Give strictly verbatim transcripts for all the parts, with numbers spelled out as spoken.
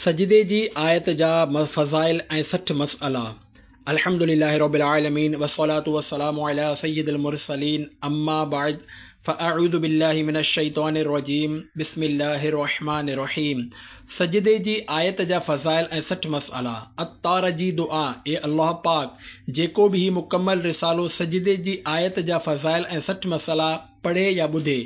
سجدي جي آيت جا فضائل ۽ سٺ مسئلا. الحمد لله رب العالمين والصلاة والسلام على سيد المرسلين اما بعد فاعوذ بالله من الشيطان الرجيم بسم الله الرحمن الرحيم. سجدي جي آيت جا فضائل ۽ سٺ مسئلا. عطار جي دعا: اي الله پاڪ، جيڪو به هي مڪمل رسالو سجدي جي آيت جا فضائل ۽ سٺ مسئلا پڙهي يا ٻڌي،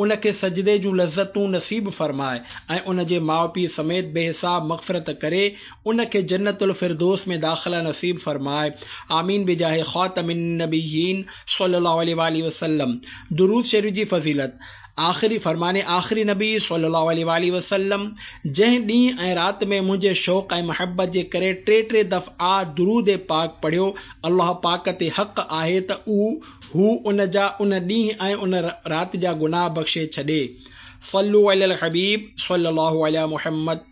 ان کي سجدي جون لذتون نصيب فرماء ۽ ان جي ماء پيء سميت بي حساب مغفرت ڪري ان کي جنت الفردوس ۾ داخله نصيب فرماء. آمين بجاه خاتم النبيين صلي الله عليه واله وسلم. درود شريف جي فضيلت. آخري فرمان آخري نبي صلي الله عليه واله وسلم: جنهن ڏينهن ۽ رات ۾ منهنجي شوق ۽ محبت جي ڪري ٽي ٽي دفعا درود پاڪ پڙهيو، الله پاڪ تي حق آهي ته هو ان جا ان ڏينهن ۽ ان رات جا گناهه بخشي ڇڏي. صلو علی الحبيب صلي الله علي محمد.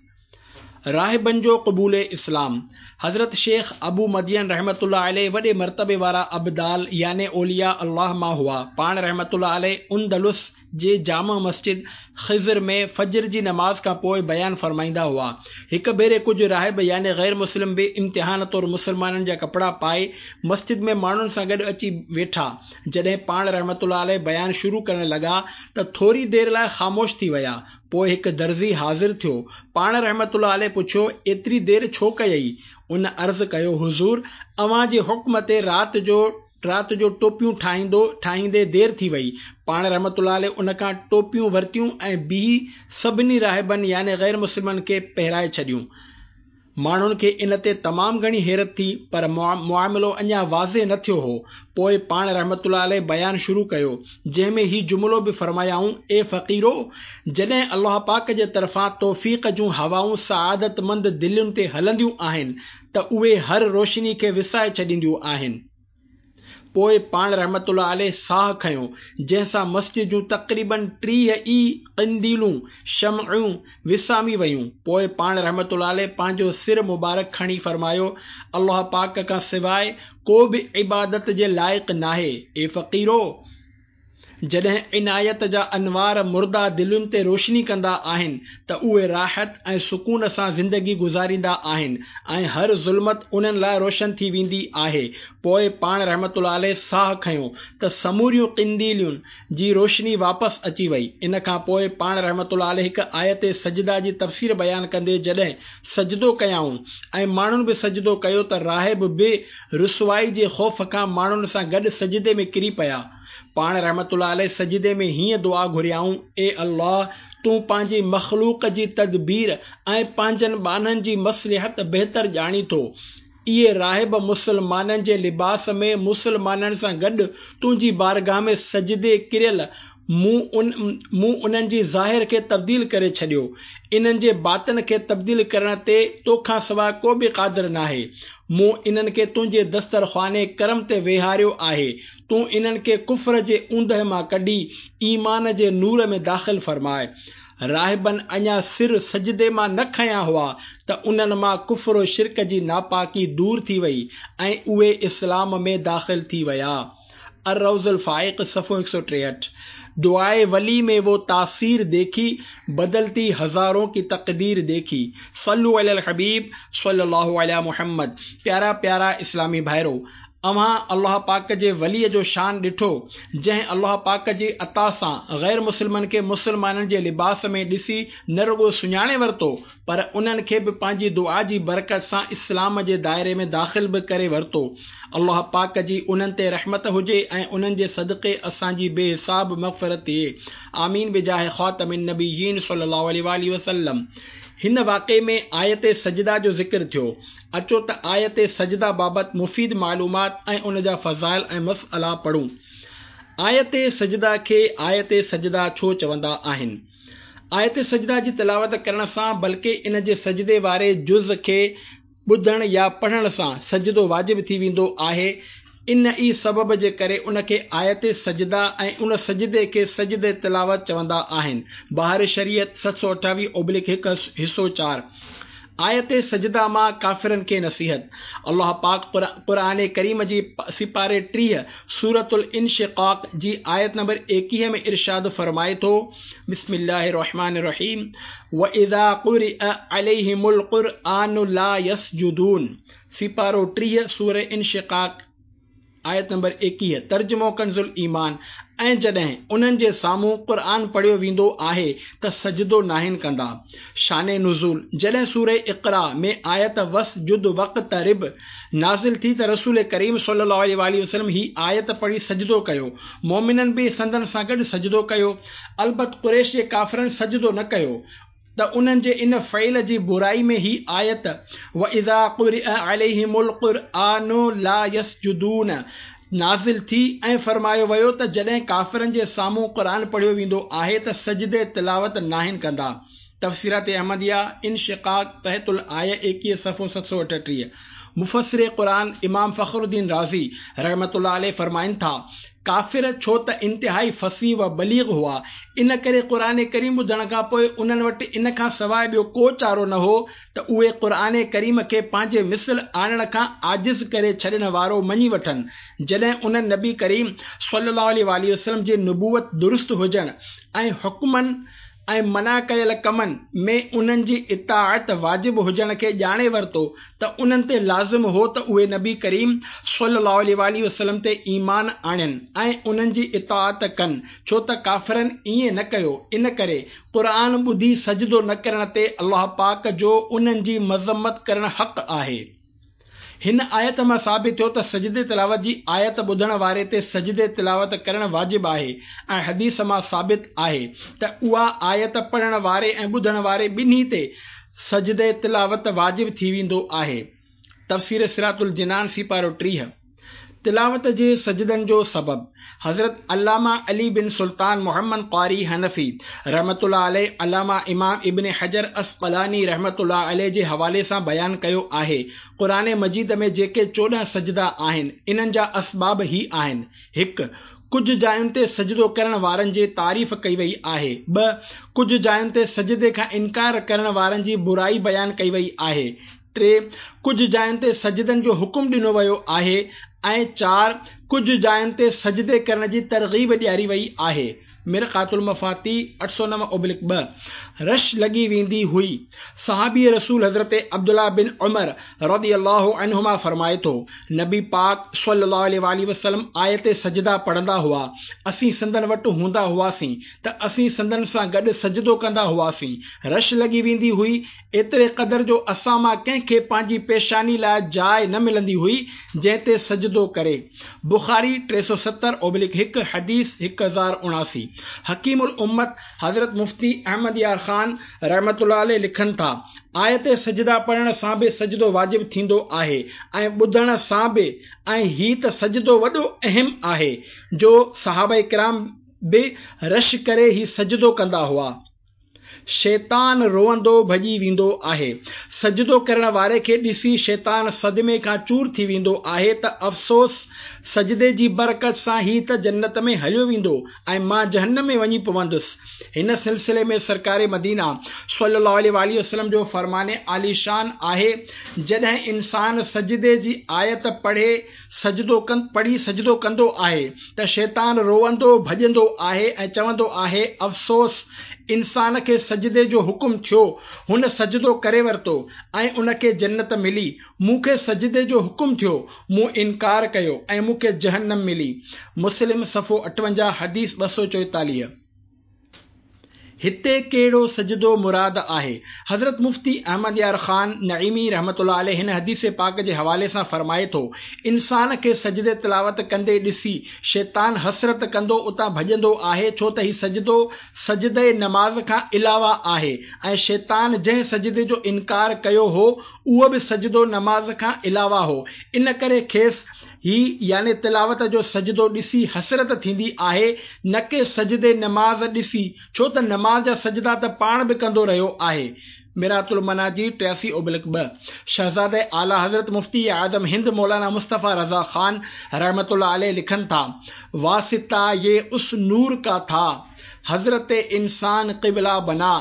راهبن جو قبول اسلام. حضرت شيخ ابو مدين رحمة الله عليه وڏي مرتبي وارا ابدال يعني اولياء الله مان هئا. پاڻ رحمة الله عليه اندلس جي جامع مسجد خضر ۾ فجر جي نماز کان پوء بيان فرمائيندا هئا. هڪ ڀيري ڪجهه راهب يعني غير مسلم به امتحان طور مسلمانن جا ڪپڙا پائي مسجد ۾ ماڻهن سان گڏ اچي ويٺا. جڏهن پاڻ رحمة الله عليه بيان شروع ڪرڻ لڳا ته ٿوري دير لاء خاموش ٿي ويا. پوء هڪ درزي حاضر ٿيو. پاڻ رحمة الله عليه پڇيو، ايتري دير ڇو ڪيئي؟ ان عرض ڪيو، حضور، اوهان جي حڪم تي رات جو رات جو ٽوپيون ٺاهيندو ٺاهيندي دير ٿي وئي. پاڻ رحمة الله عليه ان کان ٽوپيون ورتيون ۽ بيهي سڀني راهبن يعني غير مسلمن کي پهرائي ڇڏيون. ماڻهن کي ان تي تمام گهڻي حيرت ٿي، پر معاملو اڃا واضح نه ٿيو هو. پوء پاڻ رحمة الله عليه بيان شروع ڪيو، جنهن ۾ هي جملو به فرمايائون: اي فقيرو، جڏهن الله پاڪ جي طرفان توفيق جون هوائون سعادتمند دلين تي هلنديون آهن ته اهي هر روشني کي وسائي ڇڏينديون آهن. پوء پاڻ رحمة الله عليه ساهه کنيو، جنهن سان مسجد جون تقريباً ٽيهه ئي قنديلون، شمعون، وسامي ويون. پوء پاڻ رحمة الله عليه پنهنجو سر مبارڪ کڻي فرمايو، الله پاڪ کان سواء ڪو به عبادت جي لائق ناهي. اي فقيرو، جڏهن عنايت جا انوار مرده دلين تي روشني ڪندا آهن ته اهي راحت ۽ سڪون سان زندگي گذاريندا آهن ۽ هر ظلمت انهن لاء روشن ٿي ويندي آهي. پوء پاڻ رحمة الله عليه ساهه کنيو ته سموريون قنديلين جي روشني واپس اچي وئي. ان کان پوء پاڻ رحمة الله عليه هڪ آيت سجده جي تفسير بيان ڪندي جڏهن سجدو ڪيائون ۽ ماڻهن به سجدو ڪيو ته راهب به رسوائي جي خوف کان ماڻهن سان گڏ سجدي ۾ ڪري پيا. پاڻ رحمة الله عليه سجدي ۾ هيئن دعا گهريائون: اي الله، تون پنهنجي مخلوق جي تدبير ۽ پنهنجن ٻانهن جي مصلحت بهتر ڄاڻين ٿو. اهي راهب مسلمانن جي لباس ۾ مسلمانن سان گڏ تنهنجي بارگاهه ۾ سجدي ڪريل، مون ان مون انهن جي ظاهر کي تبديل ڪري ڇڏيو. انهن جي باطن کي تبديل ڪرڻ تي تو کان سواء ڪو به قادر ناهي. مون انهن کي تنهنجي دسترخوان ڪرم تي ويهاريو آهي. تون انهن کي ڪفر جي اوندهه مان ڪڍي ايمان جي نور ۾ داخل فرماء. راهبن اڃا سر سجدي مان نه کنيا هئا ته انهن مان ڪفر و شرڪ جي ناپاڪي دور ٿي وئي ۽ اهي اسلام ۾ داخل ٿي ويا. الروض الفائق صفحو هڪ سؤ ٽيهٺ. دعائي ولي ۾ وہ تاثير ديکي، بدلتي هزارون ڪي تقدير ديکي. صلو علي الحبيب صلي الله علي محمد. پيارا پيارا اسلامي ڀائرو، اوهان الله پاڪ جي ولي جو شان ڏٺو، جنهن الله پاڪ جي عطا سان غير مسلمن کي مسلمانن جي لباس ۾ ڏسي نه رڳو سڃاڻي ورتو، پر انهن کي به پنهنجي دعا جي برڪت سان اسلام جي دائري ۾ داخل به ڪري ورتو. الله پاڪ جي انهن تي رحمت هجي ۽ انهن جي صدقي اسان جي بي حساب مغفرت ٿئي. آمين بجاه خاتم النبيين صلي الله عليه واله وسلم. هن واقعي ۾ آيت سجده جو ذڪر ٿيو. اچو ته آيت سجده بابت مفيد معلومات ۽ ان جا فضائل ۽ مسئلا پڙهون. آيت سجده کي آيت سجده ڇو چوندا آهن؟ آيت سجده جي تلاوت ڪرڻ سان بلڪه ان جي سجدي واري جز کي ٻڌڻ يا پڙهڻ سان سجدو واجب ٿي ويندو آهي. ان ئي سبب جي ڪري ان کي آيت سجده ۽ ان سجدي کي سجده تلاوت چوندا آهن. بهار شريعت ست سؤ اٺاويهه اوبلڪ هڪ حصو چار. آيت سجده مان ڪافرن کي نصيحت. الله پاڪ قرآن ڪريم جي سپاري ٽيهه سورة الانشقاق جي آيت نمبر ايڪيهه ۾ ارشاد فرمائي ٿو، بسم الله الرحمن الرحيم واذا قرئ عليهم القرآن لا يسجدون. سپارو ٽيهه سورة انشقاق آيت نمبر ايڪيهه. ترجمو ڪنز الايمان، ۽ جڏهن انهن جي سامهون قرآن پڙهيو ويندو آهي ته سجدو ناهن ڪندا. شان نزول، جڏهن سورة اقرا ۾ آيت واسجد واقترب نازل ٿي ته رسول ڪريم صلي الله عليه وآله وسلم هي آيت پڙهي سجدو ڪيو، مؤمنن به سندن سان گڏ سجدو ڪيو، البت قريش جي ڪافرن سجدو نه ڪيو ته انهن جي ان فعل جي برائي ۾ هي آيت واذا قرئ عليهم القرآن لا يسجدون نازل ٿي ۽ فرمايو ويو ته جڏهن ڪافرن جي سامهون قرآن پڙهيو ويندو آهي ته سجدي تلاوت ناهن ڪندا. تفسيرات احمديه، انشقاق، تحت الآيه ايڪيهه صفحو ست سؤ اٺٽيهه. مفسر قرآن امام فخر الدين رازي رحمة الله عليه فرمائن ٿا، ڪافر ڇو ته انتهائي فصيح و بليغ هئا، ان ڪري قرآن ڪريم ٻڌڻ کان پوء انهن وٽ ان کان سواء ٻيو ڪو چارو نه هو ته اهي قرآن ڪريم کي پنهنجي مثل آڻڻ کان عاجز ڪري ڇڏڻ وارو مڃي وٺن. جڏهن انهن نبي ڪريم صلي الله عليه وآله وسلم جي نبوت درست هجڻ ۽ حڪمن ۽ منع ڪيل ڪمن ۾ انهن جي اطاعت واجب هجڻ کي ڄاڻي ورتو ته انهن تي لازم هو ته اهي نبي ڪريم صلي الله عليه وآله وسلم تي ايمان آڻين ۽ انهن جي اطاعت ڪن، ڇو ته ڪافرن ائين نه ڪيو، ان ڪري قرآن ٻڌي سجدو نه ڪرڻ تي الله پاڪ جو انهن جي مذمت ڪرڻ حق آهي. هن آيت مان ثابت ٿيو ته سجدي تلاوت جي آيت ٻڌڻ واري تي سجدي تلاوت ڪرڻ واجب آهي ۽ حديث مان ثابت آهي ته اها آيت پڙهڻ واري ۽ ٻڌڻ واري ٻنهي تي سجدي تلاوت واجب ٿي ويندو آهي. تفسير صراط الجنان سيپارو ٽيهه. تلاوت جي سجدن جو سبب، حضرت علامه علي بن سلطان محمد قاري حنفي رحمة الله عليه علامه امام ابن حجر عسقلاني رحمة الله عليه جي حوالي سان بيان ڪيو آهي، قرآن مجيد ۾ جيڪي چوڏهن سجدا آهن، انهن جا اسباب هي آهن، هڪ. ڪجهه جاين تي سجدو ڪرڻ وارن جي تعريف ڪئي وئي آهي. ٻه. ڪجهه جاين تي سجدي کان انڪار ڪرڻ وارن جي برائي بيان ڪئي وئي آهي. ٽي. ڪجهه جاين تي سجدن جو حڪم ڏنو ويو آهي ۽ چار. ڪجهه جاين تي سجدي ڪرڻ جي ترغيب ڏياري وئي آهي. مرقات المفاتيح اٺ سؤ نو اوبلڪ ٻه. رش لڳي ويندي هئي. صحابي رسول حضرت عبدالله بن عمر رضي الله عنهما فرمائي ٿو، نبي پاڪ صلي الله عليه واٰله وسلم آيت سجده پڙهندا هئا، اسين سندن وٽ هوندا هئاسين ته اسين سندن سان گڏ سجدو ڪندا هئاسين، رش لڳي ويندي هئي، ايتري قدر جو اسان مان ڪنهن کي پنهنجي پيشاني لاء جاء نه ملندي هئي جنهن تي سجدو ڪري. بخاري ٽي سؤ ستر اوبلڪ هڪ، حديث هڪ هزار اڻاسي. حڪيم الامت حضرت مفتي احمد يار خان رحمة الله عليه لکن ٿا، آيت سجده پڙهڻ سان به سجدو واجب ٿيندو آهي ۽ ٻڌڻ سان به ۽ هي ته سجدو وڏو اهم آهي جو صحابه ڪرام به رش ڪري هي سجدو ڪندا هئا. شيطان روئندو ڀڄي ويندو آهي. سجدو ڪرڻ واري کي ڏسي شيطان صدمي کان چور ٿي ويندو آهي ته افسوس سجدي جي برڪت سان هي ته جنت ۾ هليو ويندو ۽ مان جهنم ۾ وڃي پوندس. هن سلسلي ۾ سرڪار مدينه صلي الله عليه واٰله وسلم جو فرمان عاليشان آهي، جڏهن انسان سجدي جي آيت پڙهي سجدو پڙهي سجدو ڪندو آهي ته شيطان روئندو ڀڄندو آهي ۽ چوندو آهي، افسوس! انسان کي سجدي جو حڪم ٿيو، هن سجدو ڪري ورتو ۽ ان کي جنت ملي، مون کي سجدي جو حڪم ٿيو، مون انڪار ڪيو ۽ مون کي جهنم ملي. مسلم صفحو اٺونجاهه حديث ٻه سؤ چوئيتاليهه. هتي ڪهڙو سجدو مراد آهي؟ حضرت مفتي احمد يار خان نعيمي رحمة الله عليه هن حديث پاڪ جي حوالي سان فرمائي ٿو، انسان کي سجدي تلاوت ڪندي ڏسي شيطان حسرت ڪندو اتان ڀڄندو آهي ڇو ته هي سجدو سجدي نماز کان علاوه آهي ۽ شيطان جنهن سجدي جو انڪار ڪيو هو اهو به سجدو نماز کان علاوه هو ان ڪري کيس هي يعني تلاوت جو سجدو ڏسي حسرت ٿيندي آهي نه ڪي سجدي نماز ڏسي ڇو ته نماز جا سجدا ته پاڻ به ڪندو رهيو آهي. مرآة المناجي ٽياسي اوبلڪ ٻه. شهزاده اعليٰ حضرت مفتي اعظم هند مولانا مصطفيٰ رضا خان رحمة الله عليه لکن ٿا، واسطه يه اس نور ڪا ٿا، حضرت انسان قبله بنا،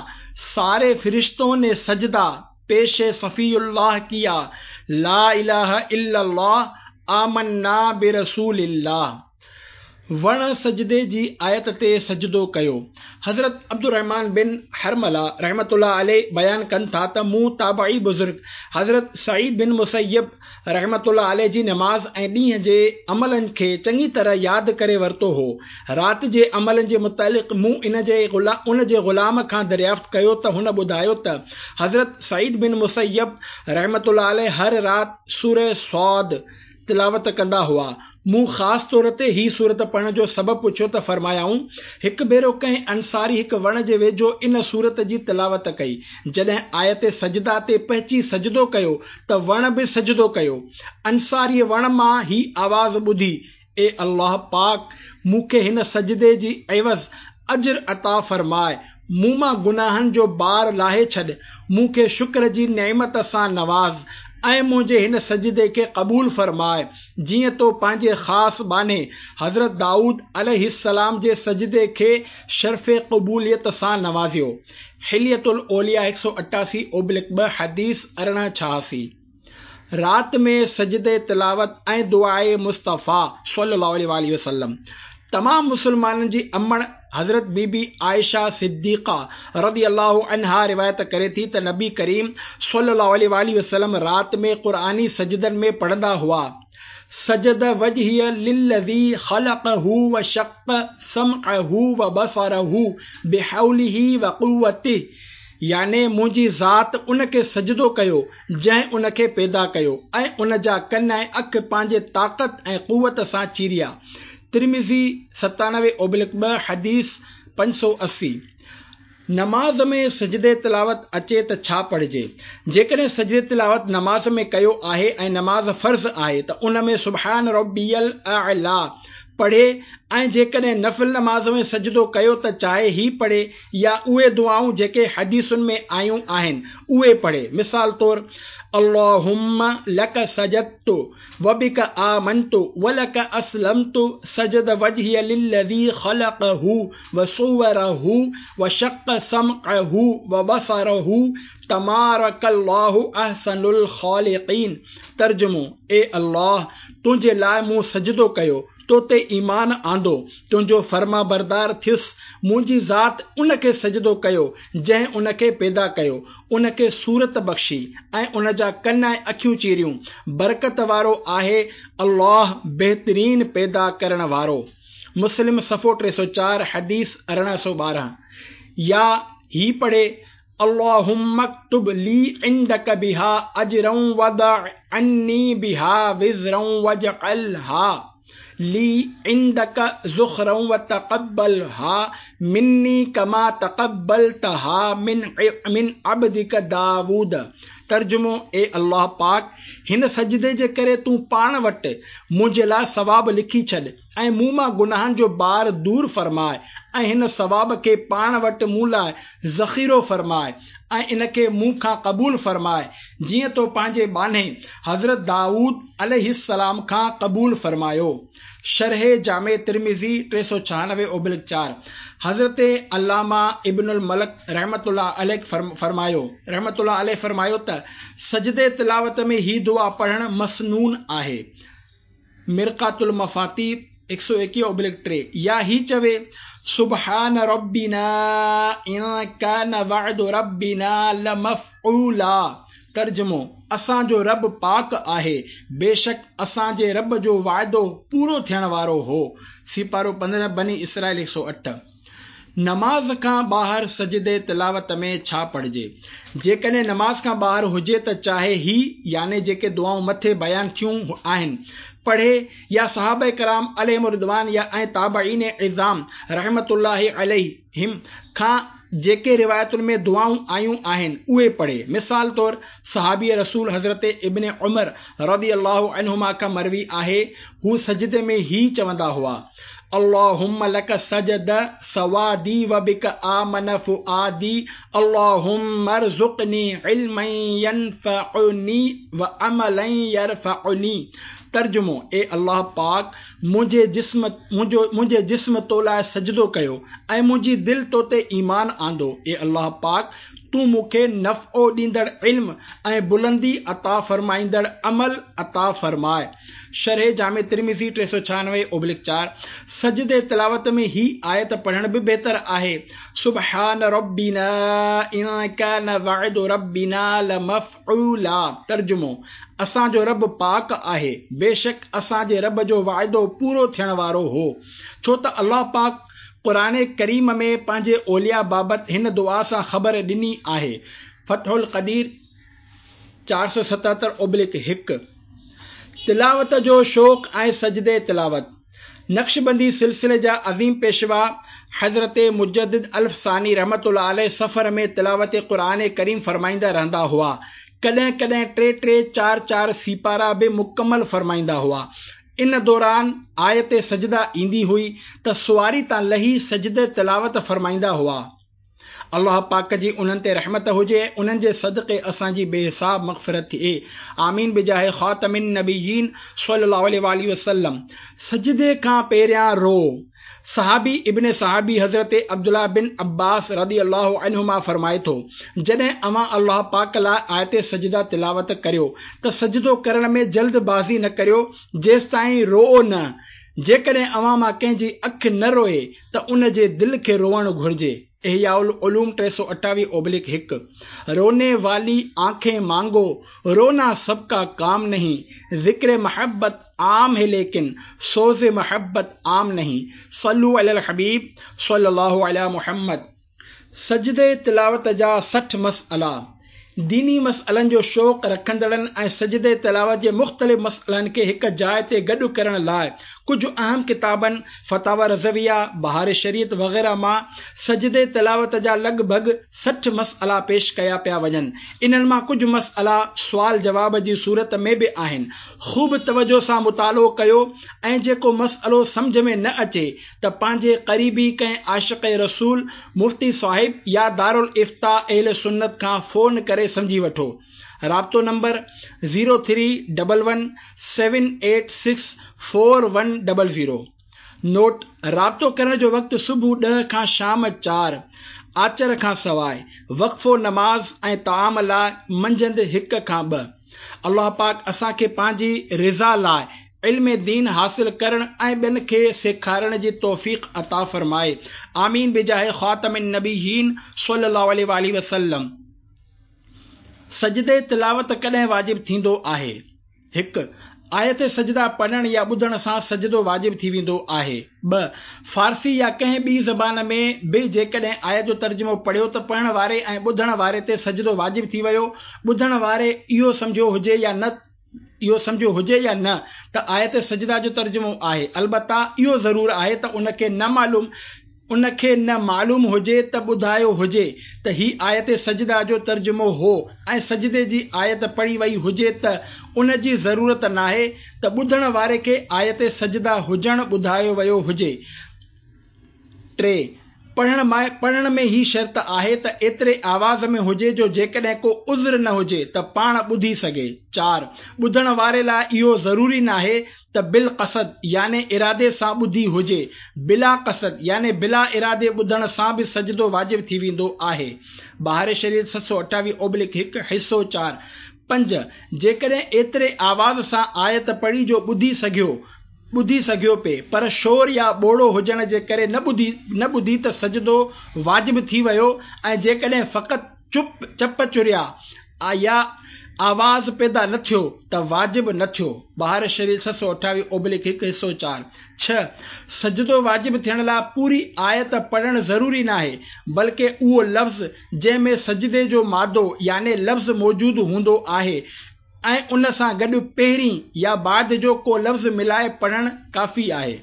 ساري فرشتون ني سجده पेश सफ़ीउल्लाह किया, ला इलाहा इल्लल्लाह आमन्ना बिरसूलिल्लाह। वण सजदे जी आयत ते सजदो कयो। हज़रत अब्दुर्रहमान बिन हरमला रहमतुल्लाह अलैह बयान कन था त मूं ताबई बुज़ुर्ग हज़रत सईद बिन मुसय्यब रहमतुल्लाह अलैह जी नमाज़ ऐं ॾींहं जे अमलनि खे चङी तरह यादि करे वरितो हो। राति जे अमलनि जे मुतालिक़ मूं इन जे गुला उन जे ग़ुलाम खां दरियाफ़्त कयो त हुन ॿुधायो त हज़रत सईद बिन मुसय्यब रहमतुल्लाह अलैह हर राति सूरह सौद तिलावत कंदा हुआ। मूं ख़ासि तौर ते ही सूरत पढ़ण जो सबबु पुछियो त फरमायाऊं, हिकु भेरो कंहिं अंसारी हिकु वण जे वेझो इन सूरत जी तिलावत कई। जॾहिं आयत सजदा ते पहुची सजदो कयो त वण बि सजदो कयो। अंसारी वण मां ही आवाज़ ॿुधी, ए अल्लाह पाक, मूंखे हिन सजदे जी एवज़ अजर अता फरमाए, मूं मां गुनाहनि जो बार लाहे छॾ, मूंखे शुक्र जी नेमत सां नवाज़ ऐं मुंहिंजे हिन सजदे खे क़बूल फरमाए, जीअं तो पंहिंजे ख़ासि बान्हे हज़रत दाऊद अलैहिस्सलाम जे सजदे खे शर्फ़ क़बूलियत सां नवाज़ियो। हिलियतुल औलिया हिकु सौ अठासी ओब्लिक ॿ हदीस अरिड़हं छहासी। राति में सजदे तिलावत ऐं दुआए मुस्तफ़ा सल्लल्लाहु अलैहि वसल्लम। तमाम मुसलमाननि जी अमण हज़रत बीबी आयशा सिद्दीक़ा रज़ी अल्लाहु अन्हा रिवायत करे थी त नबी करीम सल्लल्लाहु अलैहि वसल्लम राति में क़ुरानी सजदनि में पढ़ंदा हुआ, सजद वजहिय लिल्लज़ी ख़लक़हू व शक़्क़ समअहू व बसरहू बिहौलिही व क़ुव्वतिhi, याने मुंहिंजी ज़ात उन खे सजदो कयो जंहिं उन खे पैदा कयो ऐं उन जा कन ऐं अखि पंहिंजे ताक़त ऐं क़ुव्वत सां चीरिया। तिरमिज़ी सतानवे ओब्लिक ॿ हदीस पंज सौ अस्सी। नमाज़ में सजदे तिलावत अचे त छा पढ़िजे? जेकॾहिं सजदे तिलावत नमाज़ में कयो आहे ऐं नमाज़ फ़र्ज़ आहे त उन में सुब्हान रब्बियल अअला पढ़े ऐं जेकॾहिं नफ़िल नमाज़ में सजदो कयो त चाहे ही पढ़े या उहे दुआऊं जेके हदीसुनि में आयूं आहिनि उहे पढ़े। मिसाल तौर, अल्लाहुम्मा लक सजदतु व बिक आमनतु व लक अस्लमतु सजद वजहिय लिल्लज़ी ख़लक़हु व सुव्वरहु व शक़्क़ समअहु व बसरहु तबारकल्लाहु अहसनुल ख़ालिक़ीन। तर्जुमो, ए अल्लाह, तुंहिंजे लाइ मूं सजदो कयो, तो ते ईमान आंदो, तुंहिंजो फर्मा बरदार थियुसि, मुंहिंजी ज़ात उन खे सजदो कयो जंहिं उन खे पैदा कयो, उन खे सूरत बख़्शी ऐं उन जा कन ऐं अखियूं चीरियूं। बरकत वारो आहे अल्लाह, बहितरीन पैदा करण वारो। मुस्लिम सफ़ो टे सौ चार हदीस अरिड़हं सौ ॿारहं। या ही पढ़े, अल्लाहुम्मा अक्तुब ली इंदक बिहा अजरं वदअ अन्नी बिहा विज़रं वजअलहा ली इंदक ज़ुखरं व तक़ब्बलहा मिन्नी कमा तक़ब्बलतहा मिन मिन अब्दिक दाऊद। तर्जुमो, ए अल्लाह पाक, हिन सजदे जे करे तूं पाण वटि मुंहिंजे लाइ सवाब लिखी छॾ ऐं मूं मां गुनाहनि जो बार दूर फरमाए ऐं हिन सवाब खे पाण वटि मूं लाइ ज़ख़ीरो फरमाए ऐं इन खे मूं खां क़बूल फरमाए जीअं तो पंहिंजे बान्हे हज़रत दाऊद अलैहिस्सलाम खां क़बूल फरमायो। शरह जामे तिरमिज़ी टे सौ छहानवे ओब्लिक चार। हज़रत अल्लामा इब्नुल मलक रहमतुल्लाह अलैह फरमायो रहमतुल्लाह अलैह फरमायो त सजदे तिलावत में ही दुआ पढ़ण मसनून आहे। मिरक़ातुल मफ़ाती हिकु सौ एकवीह ओब्लिक टे। या ही चवे, सुब्हान रब्बिना इन कान वअदु रब्बिना लमफ़ऊला। तर्जुमो, असांजो रब पाक आहे, बेशक असांजे रब जो वाइदो पूरो थियण वारो हो। सिपारो पंद्रहं बनी इसराइल हिकु सौ अठ। नमाज़ खां ॿाहिरि सजदे तिलावत में छा पढ़िजे? जेकॾहिं नमाज़ खां ॿाहिरि हुजे त चाहे ही याने जेके दुआऊं मथे बयान थियूं आहिनि पढ़े या सहाबा कराम अलैहिम रिदवान या ऐं ताबईन इज़ाम रहमतुल्लाहि अलैहिम खां जेके रिवायतुनि में दुआऊं आयूं आहिनि उहे पढ़े। मिसाल तौर, सहाबी रसूल हज़रत इब्न उमर रज़ी अल्लाहु अन्हुमा खां मरवी आहे, हू सजदे में ही चवंदा हुआ, अल्लाहुम्मा लक सजद सवादी व बिक आमन फुआदी अल्लाहुम्मा अर्ज़ुक़नी इल्मन यनफ़उनी व अमलन यरफ़उनी। तर्जुमो, ए अल्लाह पाक, मुंहिंजे जिस्म मुंहिंजो मुंहिंजे जिस्म तो लाइ सजदो कयो ऐं मुंहिंजी दिलि तो ते ईमान आंदो। ए अल्लाह पाक, تون مون کي نفعو ڏيندڙ علم ۽ بلندي عطا فرمائيندڙ عمل عطا فرماء. شرح جامع ترمذي ٽي سؤ ڇهانوي اوبلڪ چار. سجدي تلاوت ۾ هي آيت پڙهڻ به بهتر آهي، سبحان ربنا ان ڪان وعد ربنا لمفعولا. ترجمو، اسان جو رب پاڪ آهي، بيشڪ اسان جي رب جو واعدو پورو ٿيڻ وارو هو. ڇو ته الله پاڪ قرآن ڪريم ۾ پنهنجي اولياء بابت هن دعا سان خبر ڏني آهي. فتح القدير چار سؤ ستهتر اوبلڪ هڪ. تلاوت جو شوق ۽ سجدي تلاوت. نقشبندي سلسلي جا عظيم پيشوا حضرت مجدد الف ثاني رحمة الله عليه سفر ۾ تلاوت قرآن ڪريم فرمائيندا رهندا هئا. ڪڏهن ڪڏهن ٽي ٽي چار چار سيپارا به مڪمل فرمائيندا هئا. ان دوران آيت سجده ايندي هئي ته سواري تان لهي سجده تلاوت فرمائيندا هئا. الله پاڪ جي انهن تي رحمت هجي ۽ انهن جي صدقي اسان جي بي حساب مغفرت ٿئي. آمين بجاه خاتم النبيين صلي الله عليه واله وسلم. سجدي کان پهريان رو. صحابي ابن صحابي حضرت عبدالله بن عباس رضي الله عنهما فرمائي ٿو، جڏهن اوهان الله پاڪ لاء آيت سجده تلاوت ڪريو ته سجدو ڪرڻ ۾ جلد بازي نه ڪريو جيستائين روئو نه، جيڪڏهن اوهان مان ڪنهن جي اک نه روئي ته ان جي دل کي روئڻ گهرجي. احياء العلوم ٽي سؤ اٺاويهه اوبلڪ هڪ. رونے والي آنکين مانگو، رونا سب کا ڪام نهين، ذڪر محبت عام هي ليڪن سوز محبت عام نهين. صلو علي الحبيب صلي الله علي محمد. سجدي تلاوت جا سٺ مسئلا. ديني مسئلن جو شوق رکندڙن ۽ سجدي تلاوت جي مختلف مسئلن کي هڪ جاء تي گڏ ڪرڻ لاء ڪجهه اهم ڪتابن فتاويٰ رضويه، بهار شريعت وغيره مان سجدي تلاوت جا لڳ ڀڳ سٺ مسئلا پيش ڪيا پيا وڃن. انهن مان ڪجهه مسئلا سوال جواب جي صورت ۾ به آهن. خوب توجه سان مطالعو ڪيو ۽ جيڪو مسئلو سمجهه ۾ نه اچي ته پنهنجي قريبي ڪنهن عاشق رسول مفتي صاحب يا دارالافتاء اهل سنت کان فون ڪري سمجهي وٺو. رابطو number zero three double one seven eight six four one double zero. Note, رابطو ڪرڻ جو وقت صبح ڏهه کان شام چار، آچر کان سواء، وقفو نماز ۽ طعام لاء منجهند هڪ کان ٻه. الله پاڪ اسان کي پنهنجي رضا لاء علم دين حاصل ڪرڻ ۽ ٻين کي سيکارڻ جي توفيق عطا فرمائي. آمين بجاه خاتم النبيين صلي الله عليه واله وسلم. سجدي تلاوت ڪڏهن واجب ٿيندو آهي؟ هڪ. آيت سجده پڙهڻ يا ٻڌڻ سان سجدو واجب ٿي ويندو آهي. ٻه. فارسي يا ڪنهن ٻي زبان ۾ به جيڪڏهن آيت جو ترجمو پڙهيو ته پڙهڻ واري ۽ ٻڌڻ واري تي سجدو واجب ٿي ويو. ٻڌڻ واري اهو سمجهيو هجي يا نه اهو سمجهيو هجي يا نه ته آيت سجده جو ترجمو آهي، البته اهو ضرور آهي ته ان کي نه معلوم ان کي نه معلوم هجي ته ٻڌايو هجي ته هي آيت سجده جو ترجمو هو ۽ سجدي جي آيت پڙهي وئي هجي ته ان جي ضرورت ناهي ته ٻڌڻ واري کي آيت سجده هجڻ ٻڌايو ويو هجي. ٽي. پڙهڻ پڙهڻ ۾ هي شرط آهي ته ايتري آواز ۾ هجي جو جيڪڏهن ڪو عذر نه هجي ته پاڻ ٻڌي سگهي. چار. ٻڌڻ واري لاء اهو ضروري ناهي ته بالقصد يعني ارادي سان ٻڌي هجي، بلا قصد يعني بلا ارادي ٻڌڻ سان به سجدو واجب ٿي ويندو آهي. بهار شريعت ست سؤ اٺاويهه اوبلڪ هڪ، حصو چار. پنج. جيڪڏهن ايتري آواز سان آيت پڙهي جو ٻڌي سگهيو ٻڌي سگهيو پئي پر شور يا ٻوڙو هجڻ جي ڪري نه ٻڌي نه ٻڌي ته سجدو واجب ٿي ويو ۽ جيڪڏهن فقط چپ چپ چريا يا آواز پيدا نه ٿيو ته واجب نه ٿيو. بهار شريعت ست سؤ اٺاويهه اوبلڪ هڪ، حصو چار. ڇهه. سجدو واجب ٿيڻ لاء پوري آيت پڙهڻ ضروري ناهي، بلڪه اهو لفظ جنهن ۾ سجدي جو مادو يعني لفظ موجود هوندو آهي ۽ ان سان گڏ پهرين يا بعد جو ڪو لفظ ملائي پڙهڻ ڪافي آهي.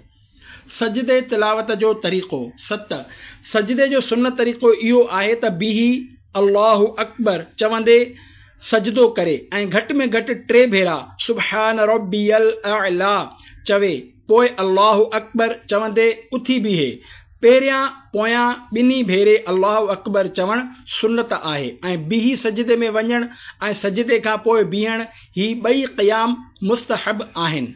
سجدي تلاوت جو طريقو. ست. سجدي جو سنت طريقو اهو آهي ته بيهي الله اڪبر چوندي سجدو ڪري ۽ گهٽ ۾ گهٽ ٽي ڀيرا سبحان ربي الاعليٰ چوي، پوء الله اڪبر چوندي اٿي بيهي. پهريان پويان ٻنهي ڀيري الله اڪبر چوڻ سنت آهي ۽ بيهي سجدي ۾ وڃڻ ۽ سجدي کان پوء بيهڻ هي ٻئي قيام مستحب آهن.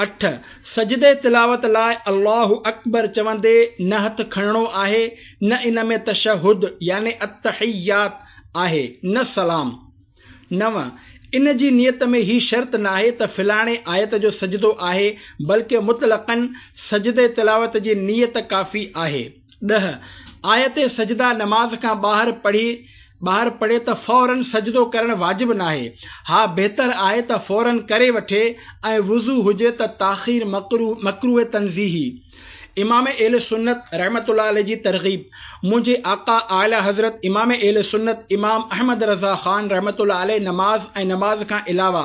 اٺ. سجدي تلاوت لاء الله اڪبر چوندي نه هٿ کڻڻو آهي نه ان ۾ تشهد يعني التحيات آهي نه سلام. نو، ان جي نيت ۾ هي شرط ناهي ته فلاڻي آيت جو سجدو آهي، بلڪه مطلقاً سجدي تلاوت جي نيت ڪافي آهي. ڏهه، آيت سجده نماز کان ٻاهر پڙهي ٻاهر پڙهي ته فوراً سجدو ڪرڻ واجب ناهي، ها بهتر آهي ته فوراً ڪري وٺي ۽ وضو هجي ته تاخير مڪروه مڪروه تنزيهي. امام اهل سنت رحمة الله عليه جي ترغيب. منهنجي آقا اعليٰ حضرت امام اهل سنت امام احمد رضا خان رحمة الله عليه نماز ۽ نماز کان علاوه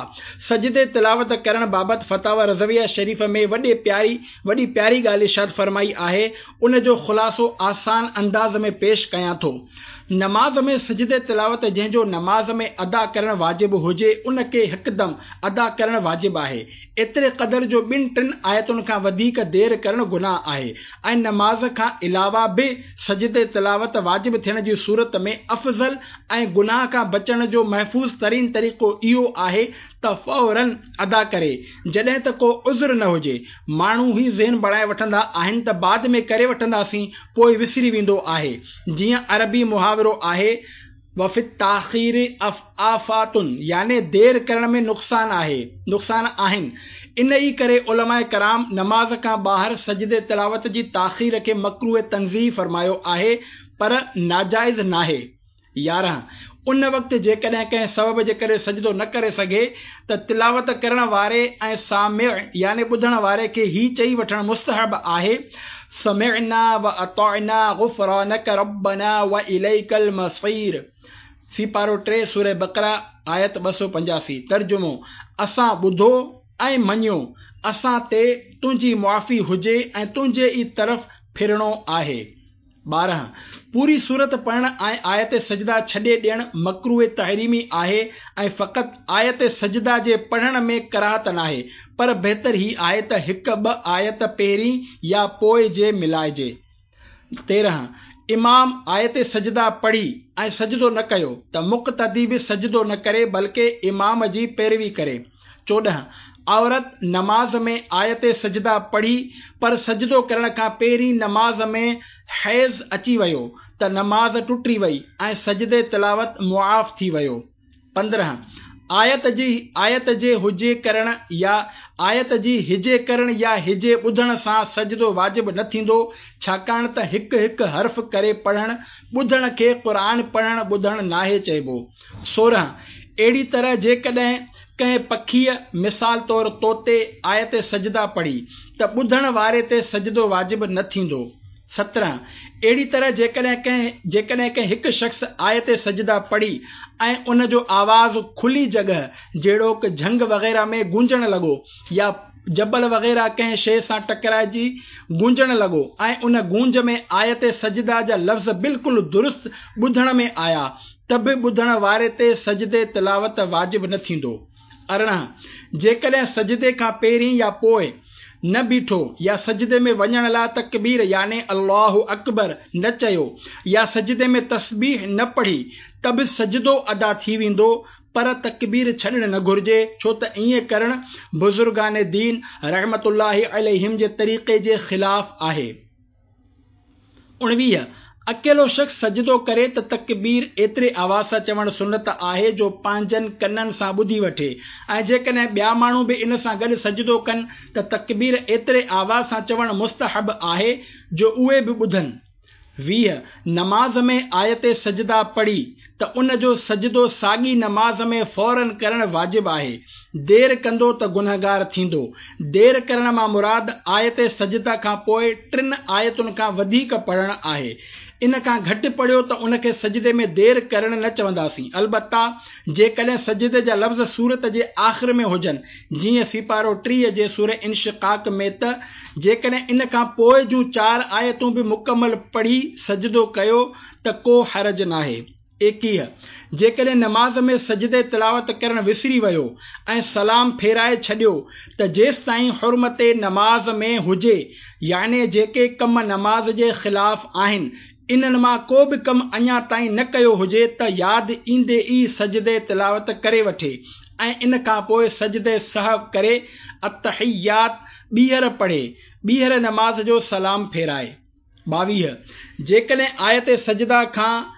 سجدي تلاوت ڪرڻ بابت فتاويٰ رضويه شريف ۾ وڏي پياري وڏي پياري ڳالهه ارشاد فرمائي آهي، ان جو خلاصو آسان انداز ۾ پيش ڪيان ٿو. نماز ۾ سجدي تلاوت جنهن جو نماز ۾ ادا ڪرڻ واجب هجي ان کي هڪدم ادا ڪرڻ واجب آهي، ايتري قدر جو ٻن ٽن آيتن کان وڌيڪ دير ڪرڻ گناهه آهي ۽ نماز کان علاوه به سجدي تلاوت واجب ٿيڻ جي صورت ۾ افضل ۽ گناهه کان بچڻ جو محفوظ ترين طريقو اهو آهي ته فوراً ادا ڪري جڏهن ته ڪو عذر نه هجي. ماڻهو هي ذهن بڻائي وٺندا آهن ته بعد ۾ ڪري وٺنداسين، پوء وسري ويندو آهي. جيئن عربي محاورو آهي وفي التاخير آفات يعني دير ڪرڻ ۾ نقصان آهي نقصان آهن. ان ئي ڪري علماء ڪرام نماز کان ٻاهر سجدي تلاوت جي تاخير کي مڪروه تنزيهي فرمايو آهي پر ناجائز ناهي. يارهن، ان وقت جيڪڏهن ڪنهن سبب جي ڪري سجدو نه ڪري سگهي ته تلاوت ڪرڻ واري ۽ سامع يعني ٻڌڻ واري کي هي چئي وٺڻ مستحب آهي سمعنا واطعنا غفرانک ربنا واليک المصير. سيپارو ٽي سوره بقره آيت ٻه سؤ پنجاسي. ترجمو، اسان ٻڌو ۽ مڃيو، اسان تي تنهنجي معافي هجي ۽ تنهنجي ئي طرف ڦرڻو آهي. ٻارهن، پوري سورت پڙهڻ ۽ آيت سجده ڇڏي ڏيڻ مڪروه تحريمي آهي ۽ فقط آيت سجده جي پڙهڻ ۾ ڪراهت ناهي، پر بهتر هي آهي ته هڪ ٻه آيت پهرين يا پوء جي ملائجي. تيرهن، امام آيت سجده پڙهي ۽ سجدو نه ڪيو ته مقتدي به سجدو نه ڪري بلڪه امام جي پيروي ڪري. چوڏهن، عورت نماز ۾ آيت سجده پڙهي پر سجدو ڪرڻ کان پهرين نماز ۾ حيض اچي ويو ته نماز ٽٽي وئي ۽ سجدي تلاوت معاف ٿي ويو. پندرهن، آيت جي آيت جي هجي ڪرڻ يا آيت جي هجي ڪرڻ يا هجي ٻڌڻ سان سجدو واجب نه ٿيندو، ڇاڪاڻ ته هڪ هڪ حرف ڪري پڙهڻ ٻڌڻ کي قرآن پڙهڻ ٻڌڻ ناهي چئبو. سورهن، اهڙي طرح جيڪڏهن ڪنهن پکيء مثال طور طوطي آيت سجده پڙهي ته ٻڌڻ واري تي سجدو واجب نه ٿيندو. سترهن، اهڙي طرح جيڪڏهن ڪنهن جيڪڏهن ڪنهن هڪ شخص آيت سجده پڙهي ۽ ان جو آواز کلي جڳهه جهڙوڪ جهنگ وغيره ۾ گونجڻ لڳو يا جبل وغيره ڪنهن شيء سان ٽڪرائجي گونجڻ لڳو ۽ ان گونج ۾ آيت سجده جا لفظ بلڪل درست ٻڌڻ ۾ آيا ته به ٻڌڻ واري تي سجدي تلاوت واجب نه ٿيندو. ارڙهن، جيڪڏهن سجدي کان پهرين يا پوء نه بيٺو يا سجدي ۾ وڃڻ لاء تڪبير يعني الله اڪبر نه چيو يا سجدي ۾ تسبيح نه پڙهي ته به سجدو ادا ٿي ويندو پر تڪبير ڇڏڻ نه گهرجي ڇو ته ائين ڪرڻ بزرگان دين رحمة الله عليهم جي طريقي جي خلاف آهي. اڻويهه، اڪيلو شخص سجدو ڪري ته تڪبير ايتري آواز سان چوڻ سنت آهي جو پنهنجن ڪنن سان ٻڌي وٺي ۽ جيڪڏهن ٻيا ماڻهو به ان سان گڏ سجدو ڪن ته تڪبير ايتري آواز سان چوڻ مستحب آهي جو اهي به ٻڌن. ويهه، نماز ۾ آيت سجده پڙهي ته ان جو سجدو ساڳي نماز ۾ فوراً ڪرڻ واجب آهي. دير ڪندو ته گنهگار ٿيندو. دير ڪرڻ مان مراد آيت سجده کان پوء ٽن آيتن کان وڌيڪ پڙهڻ آهي. ان کان گهٽ پڙهيو ته ان کي سجدي ۾ دير ڪرڻ نه چونداسين. البته جيڪڏهن سجدي جا لفظ سورت جي آخر ۾ هجن جيئن سيپارو ٽيهه جي سوره انشقاق ۾ ته جيڪڏهن ان کان پوء جون چار آيتون به مڪمل پڙهي سجدو ڪيو ته ڪو حرج ناهي. ايڪيهه، جيڪڏهن نماز ۾ سجدي تلاوت ڪرڻ وسري ويو ۽ سلام ڦيرائي ڇڏيو ته جيستائين حرمت نماز ۾ هجي يعني جيڪي ڪم نماز جي خلاف آهن انهن مان ڪو به ڪم اڃا تائين نه ڪيو هجي ته ياد ايندي ئي سجدي تلاوت ڪري وٺي ۽ ان کان پوء سجدي سهو ڪري التحيات ٻيهر پڙهي ٻيهر نماز جو سلام ڦيرائي. ٻاويهه، جيڪڏهن آيت سجده کان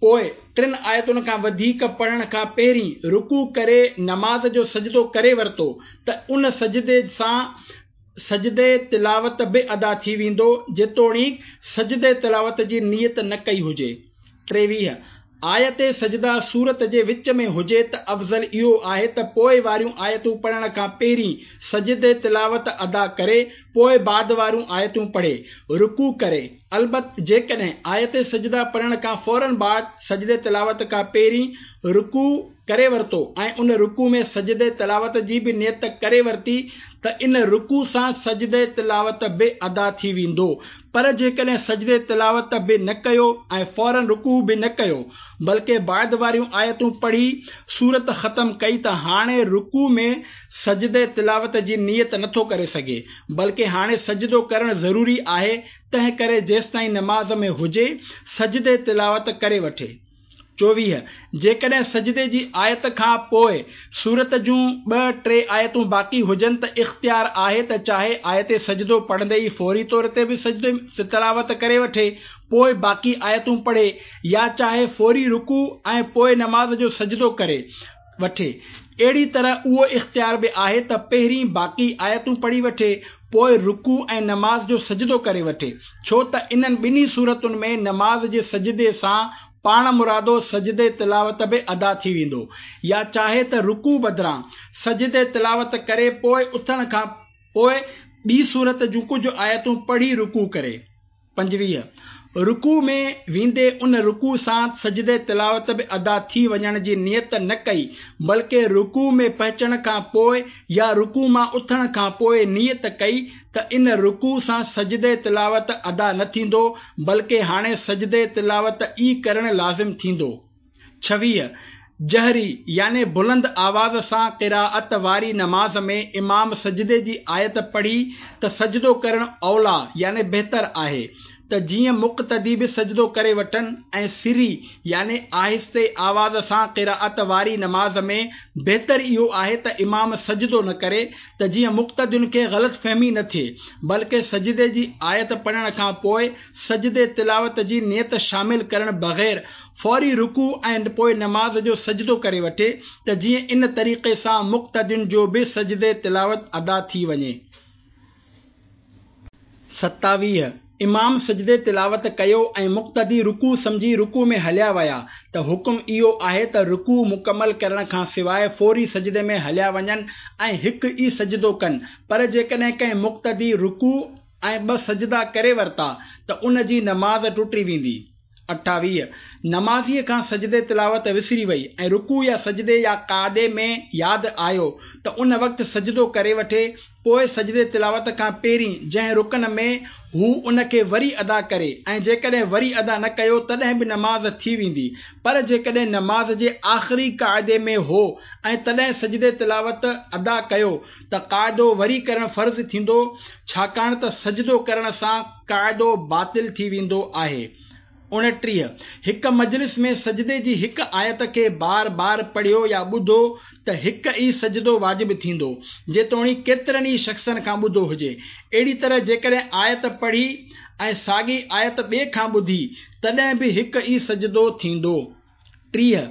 پوء ٽن آيتن کان وڌيڪ پڙهڻ کان پهرين رڪوع ڪري نماز جو سجدو ڪري ورتو ته ان سجدي سان سجدي تلاوت به ادا ٿي ويندو، جيتوڻيڪ سجدي تلاوت جي نيت نه ڪئي هجي. ٽيويهه، آيت سجده سورت جي وچ ۾ هجي ته افضل اهو آهي ته پوء واريون آيتون پڙهڻ کان پهرين سجدي تلاوت ادا ڪري پوء بعد واريون آيتون پڙهي رڪوع ڪري. البت جيڪڏهن آيت سجده پڙهڻ کان فوراً بعد سجدي تلاوت کان پهرين رڪوع ڪري ورتو ۽ ان رڪوع ۾ سجدي تلاوت جي به نيت ڪري ورتي ته ان رڪوع سان سجدي تلاوت به ادا ٿي ويندو، پر جيڪڏهن سجدي تلاوت به نه ڪيو ۽ فوراً رڪوع به نه ڪيو بلڪه بعد واريون آيتون پڙهي سورت ختم ڪئي ته هاڻي رڪوع ۾ سجدي تلاوت جي نيت نٿو ڪري سگهي، بلڪه هاڻي سجدو ڪرڻ ضروري آهي، تنهن ڪري جيستائين نماز ۾ هجي سجدي تلاوت ڪري وٺي. چوويهه، جيڪڏهن سجدي جي آيت کان پوء سورت جون ٻه ٽي آيتون باقي هجن ته اختيار آهي ته چاهي آيت سجدو پڙهندي ئي فوري طور تي به سجدي تلاوت ڪري وٺي پوء باقي آيتون پڙهي يا چاهي فوري رڪوع ۽ پوء نماز جو سجدو ڪري وٺي. اهڙي طرح اهو اختيار به آهي ته پهرين باقي آيتون پڙهي وٺي پوء رڪوع ۽ نماز جو سجدو ڪري وٺي، ڇو ته انهن ٻنهي صورتن ۾ نماز جي سجدي سان پاڻ مرادو سجدي تلاوت به ادا ٿي ويندو، يا چاهي ته رڪوع بدران سجدي تلاوت ڪري پوء اٿڻ کان پوء ٻي سورت جون ڪجهه آيتون پڙهي رڪوع ڪري. پنجويهه، رڪوع ۾ ويندي ان رڪوع سان سجدي تلاوت به ادا ٿي وڃڻ جي نيت نه ڪئي بلڪه رڪوع ۾ پهچڻ کان پوء يا رڪوع مان اٿڻ کان پوء نيت ڪئي ته ان رڪوع سان سجدي تلاوت ادا نه ٿيندو بلڪه هاڻي سجدي تلاوت ئي ڪرڻ لازم ٿيندو. ڇويهه، جهري يعني بلند آواز سان قراءت واري نماز ۾ امام سجدي جي آيت پڙهي ته سجدو ڪرڻ اوليٰ يعني بهتر آهي ته جيئن مقتدي به سجدو ڪري وٺن ۽ سري يعني آهستي آواز سان قراءت واري نماز ۾ بهتر اهو آهي ته امام سجدو نه ڪري ته جيئن مقتدين کي غلط فهمي نه ٿئي بلڪه سجدي جي آيت پڙهڻ کان پوء سجدي تلاوت جي نيت شامل ڪرڻ بغير فوري رڪوع ۽ پوء نماز جو سجدو ڪري وٺي ته جيئن ان طريقي سان مقتدين جو به سجدي تلاوت ادا ٿي وڃي. ستاويهه، امام سجدي تلاوت ڪيو ۽ مقتدي رڪوع سمجهي رڪوع ۾ هليا ويا ته حڪم اهو آهي ته رڪوع مڪمل ڪرڻ کان سواء فوري سجدي ۾ هليا وڃن ۽ هڪ ئي سجدو ڪن، پر جيڪڏهن ڪنهن مقتدي رڪوع ۽ ٻه سجدا ڪري ورتا ته ان جي نماز ٽٽي ويندي. اٺاويهه، نمازيء کان سجدي تلاوت وسري وئي ۽ رڪوع يا سجدي يا قعدي ۾ ياد آيو ته ان وقت سجدو ڪري وٺي پوء سجدي تلاوت کان پهرين جنهن رڪن ۾ هو ان کي وري ادا ڪري ۽ جيڪڏهن وري ادا نه ڪيو تڏهن به نماز ٿي ويندي، پر جيڪڏهن نماز جي آخري قاعدي ۾ هو ۽ تڏهن سجدي تلاوت ادا ڪيو ته قاعدو وري ڪرڻ فرض ٿيندو، ڇاڪاڻ ته سجدو ڪرڻ سان قاعدو باطل ٿي ويندو آهي. اڻٽيهه، هڪ مجلس ۾ سجدي جي هڪ آيت کي بار بار پڙهيو يا ٻڌو ته هڪ ئي سجدو واجب ٿيندو، جيتوڻيڪ ڪيترن ئي شخصن کان ٻڌو هجي. اهڙي طرح جيڪڏهن آيت پڙهي ۽ ساڳي آيت ٻئي کان ٻڌي تڏهن به هڪ ئي سجدو ٿيندو. ٽيهه،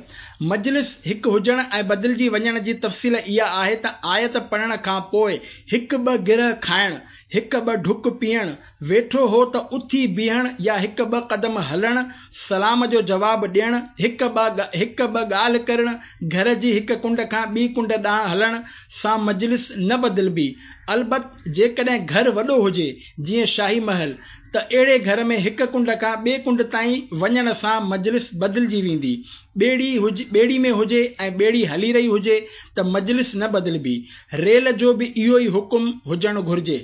مجلس هڪ هجڻ ۽ بدلجي وڃڻ جي تفصيل اها آهي ته آيت پڙهڻ کان پوء هڪ ٻه گرهه کائڻ، هڪ ٻه ڍڪ پيئڻ، ويٺو هو ته اٿي بيهڻ يا هڪ ٻه قدم هلڻ، سلام جو جواب ڏيڻ، هڪ ٻه هڪ ٻه ڳالهه ڪرڻ، گهر جي هڪ ڪنڊ کان ٻي ڪنڊ ڏانهن هلڻ سان مجلس نه بدلبي. البت جيڪڏهن گهر وڏو هجي، جيئن شاهي محل، ته اهڙي گهر ۾ هڪ ڪنڊ کان ٻي ڪنڊ تائين وڃڻ سان مجلس بدلجي ويندي. ٻيڙي هجي ٻيڙي ۾ هجي ۽ ٻيڙي هلي رهي هجي ته مجلس نه بدلبي. ريل جو به اهو ئي حڪم هجڻ گهرجي.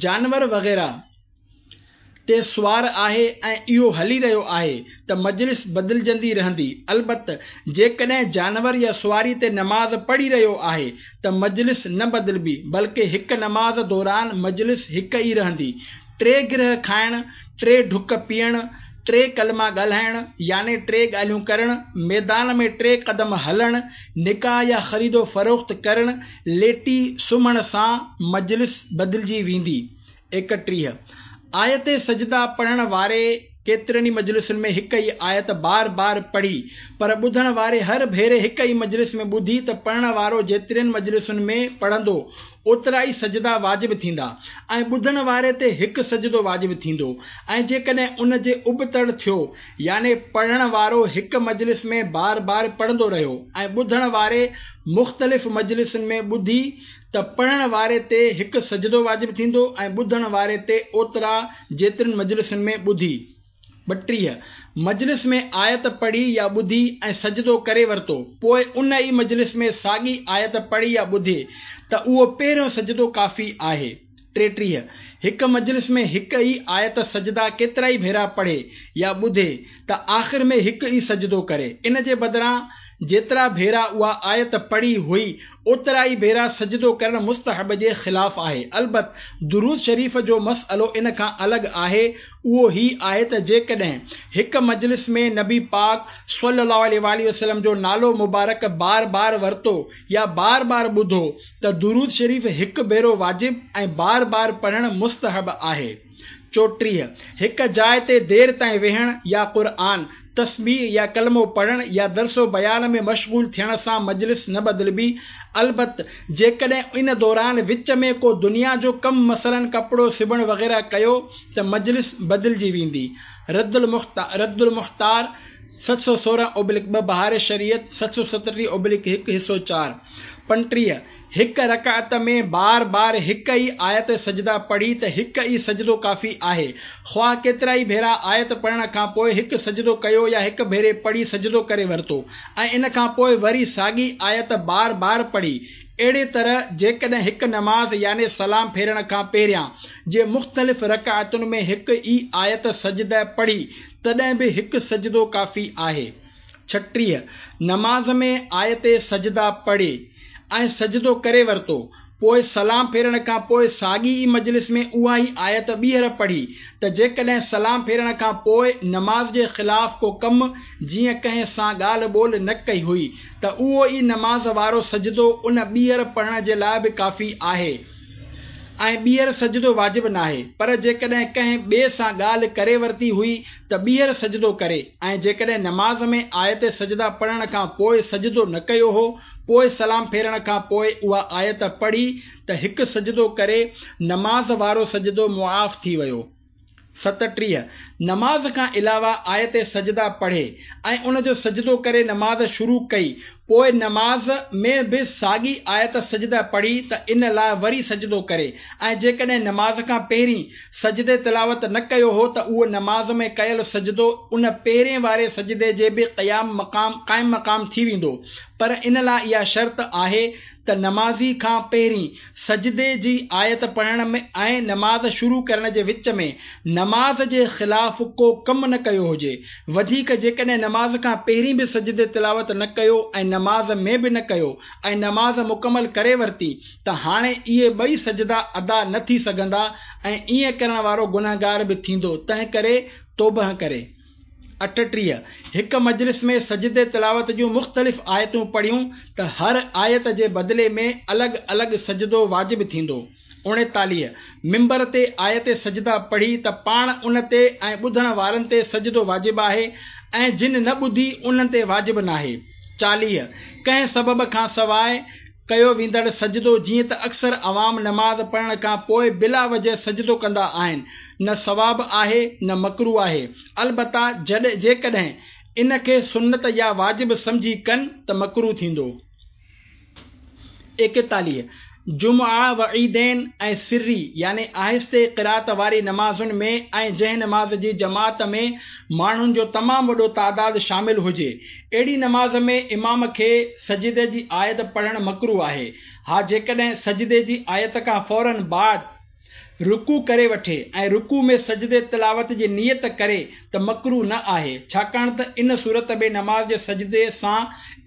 جانور وغيره تي سوار آهي ۽ اهو هلي رهيو آهي ته مجلس بدلجندي رهندي. البت جيڪڏهن جانور يا سواري تي نماز پڙهي رهيو آهي ته مجلس نه بدلبي بلڪه هڪ نماز دوران مجلس هڪ ئي رهندي. ٽي گرهه کائڻ، ٽي ڍڪ پيئڻ، ٽي ڪلما ڳالهائڻ يعني ٽي ڳالهيون ڪرڻ، ميدان ۾ ٽي قدم هلڻ، نڪاح يا خريد و فروخت ڪرڻ، ليٽي سمهڻ سان مجلس بدلجي ويندي. ايڪٽيهه، آيت سجده پڙهڻ واري ڪيترن ئي مجلسن ۾ هڪ ئي آيت بار بار پڙهي، پر ٻڌڻ واري هر ڀيري هڪ ئي مجلس ۾ ٻڌي ته پڙهڻ وارو جيترين مجلسن ۾ پڙهندو اوترا ئي سجدا واجب ٿيندا ۽ ٻڌڻ واري تي هڪ سجدو واجب ٿيندو ۽ جيڪڏهن ان جي ابتڙ ٿيو يعني پڙهڻ وارو هڪ مجلس ۾ بار بار پڙهندو رهيو ۽ ٻڌڻ واري مختلف مجلسن ۾ ٻڌي ته پڙهڻ واري تي هڪ سجدو واجب ٿيندو ۽ ٻڌڻ واري تي اوترا جيترين مجلسن ۾ ٻڌي. ٻٽيهه مجلس ۾ آيت پڙهي يا ٻڌي ۽ سجدو ڪري ورتو، پوء ان ئي مجلس ۾ ساڳي آيت پڙهي يا ٻڌي ته اهو پهريون سجدو ڪافي آهي. ٽيٽيهه هڪ مجلس ۾ هڪ ئي آيت سجدا ڪيترائي ڀيرا پڙهي يا ٻڌي ته آخر ۾ هڪ ئي سجدو ڪري، ان جي بدران جيترا ڀيرا اها آيت پڙهي هئي اوترا ئي ڀيرا سجدو ڪرڻ مستحب جي خلاف آهي. البت درود شريف جو مسئلو ان کان الڳ آهي، اهو هي آهي ته جيڪڏهن هڪ مجلس ۾ نبي پاڪ صلي الله عليه وآله وسلم جو نالو مبارڪ بار بار ورتو يا بار بار ٻڌو ته درود شريف هڪ ڀيرو واجب ۽ بار بار پڙهڻ مستحب آهي. چوٽيهه هڪ جاء تي دير تائين ويهڻ يا قرآن، تسبيح يا ڪلمو پڙهڻ يا درس و بيان ۾ مشغول ٿيڻ سان مجلس نه بدلبي. البت جيڪڏهن ان دوران وچ ۾ ڪو دنيا جو ڪم مثلاً ڪپڙو سبڻ وغيره ڪيو ته مجلس بدلجي ويندي. رد المختار ست سؤ سورهن اوبلڪ ٻه بهار شريعت ست سؤ ستٽيهه اوبلڪ هڪ حصو چار. پنٽيهه هڪ رڪعت ۾ بار بار هڪ ئي آيت سجدا پڙهي ته هڪ ئي سجدو ڪافي آهي، خواهه ڪيترائي ڀيرا آيت پڙهڻ کان پوء هڪ سجدو ڪيو يا هڪ ڀيري پڙهي سجدو ڪري ورتو ۽ ان کان پوء وري ساڳي آيت بار بار پڙهي. اهڙي طرح جيڪڏهن هڪ نماز يعني سلام ڦيرڻ کان پهريان جي مختلف رڪعتن ۾ هڪ ئي آيت سجده پڙهي تڏهن به هڪ سجدو ڪافي آهي. ڇٽيهه نماز ۾ آيت سجده پڙهي ۽ سجدو ڪري ورتو، پوء سلام ڦيرڻ کان پوء ساڳي ئي مجلس ۾ اها ئي آيت ٻيهر پڙهي ته جيڪڏهن سلام ڦيرڻ کان پوء نماز جي خلاف ڪو ڪم جيئن ڪنهن سان ڳالهه ٻولهه نه ڪئي هئي ته اهو ئي نماز وارو سجدو ان ٻيهر پڙهڻ جي لاء به ڪافي آهي ۽ ٻيهر سجدو واجب ناهي، پر جيڪڏهن ڪنهن ٻئي سان ڳالهه ڪري ورتي هئي ته ٻيهر سجدو ڪري ۽ جيڪڏهن نماز ۾ آيت سجده پڙهڻ کان پوء سجدو نه ڪيو هو، پوء سلام ڦيرڻ کان پوء اها آيت پڙهي ته هڪ سجدو ڪري، نماز وارو سجدو معاف ٿي ويو. ستٽيهه نماز کان علاوه آيت سجده پڙهي ۽ ان جو سجدو ڪري نماز شروع ڪئي، پوء نماز ۾ به ساڳي آيت سجده پڙهي ته ان لاء وري سجدو ڪري ۽ جيڪڏهن نماز کان پهرين سجدي تلاوت نه ڪيو هو ته اهو نماز ۾ ڪيل سجدو ان پهرين واري سجدي جي به قيام مقام قائم مقام ٿي ويندو، پر ان لاء اها شرط آهي ته نمازي کان پهرين سجدي جي آيت پڙهڻ ۾ ۽ نماز شروع ڪرڻ جي وچ ۾ نماز جي خلاف ڪو ڪم نه ڪيو هجي. وڌيڪ جيڪڏهن نماز کان پهرين به سجدي تلاوت نه ڪيو ۽ نماز ۾ به نه ڪيو ۽ نماز مڪمل ڪري ورتي ته هاڻي اهي ٻئي سجدا ادا نه ٿي سگهندا ۽ ائين ڪرڻ وارو گنهگار به ٿيندو، تنهن ڪري توبهه ڪري. اٺٽيهه هڪ مجلس ۾ سجدي تلاوت جون مختلف آيتون پڙهيون ته هر آيت جي بدلي ۾ الڳ الڳ سجدو واجب ٿيندو. اڻيتاليهه منبر تي آيت سجده پڙهي ته پاڻ ان تي ۽ ٻڌڻ وارن تي سجدو واجب آهي ۽ جن نه ٻڌي انهن تي واجب ناهي. چاليهه ڪنهن سبب کان سواء ڪيو ويندڙ سجدو جيئن ته اڪثر عوام نماز پڙهڻ کان پوء بلا وجه سجدو ڪندا آهن، نه ثواب آهي نه مڪروه آهي، البته جيڪڏهن ان کي سنت يا واجب سمجهي ڪن ته مڪروه ٿيندو. ايڪيتاليهه جمعه و عيدين ۽ سري يعني آهستي قرات واري نمازن ۾ ۽ جنهن نماز جي جماعت ۾ ماڻهن جو تمام وڏو تعداد شامل هجي، اهڙي نماز ۾ امام کي سجدي جي آيت پڙهڻ مڪروه آهي. ها جيڪڏهن سجدي جي آيت کان فوراً بعد رڪوع ڪري وٺي ۽ رڪوع ۾ سجدي تلاوت جي نيت ڪري ته مڪروه نه آهي، ڇاڪاڻ ته ان صورت ۾ نماز جي سجدي سان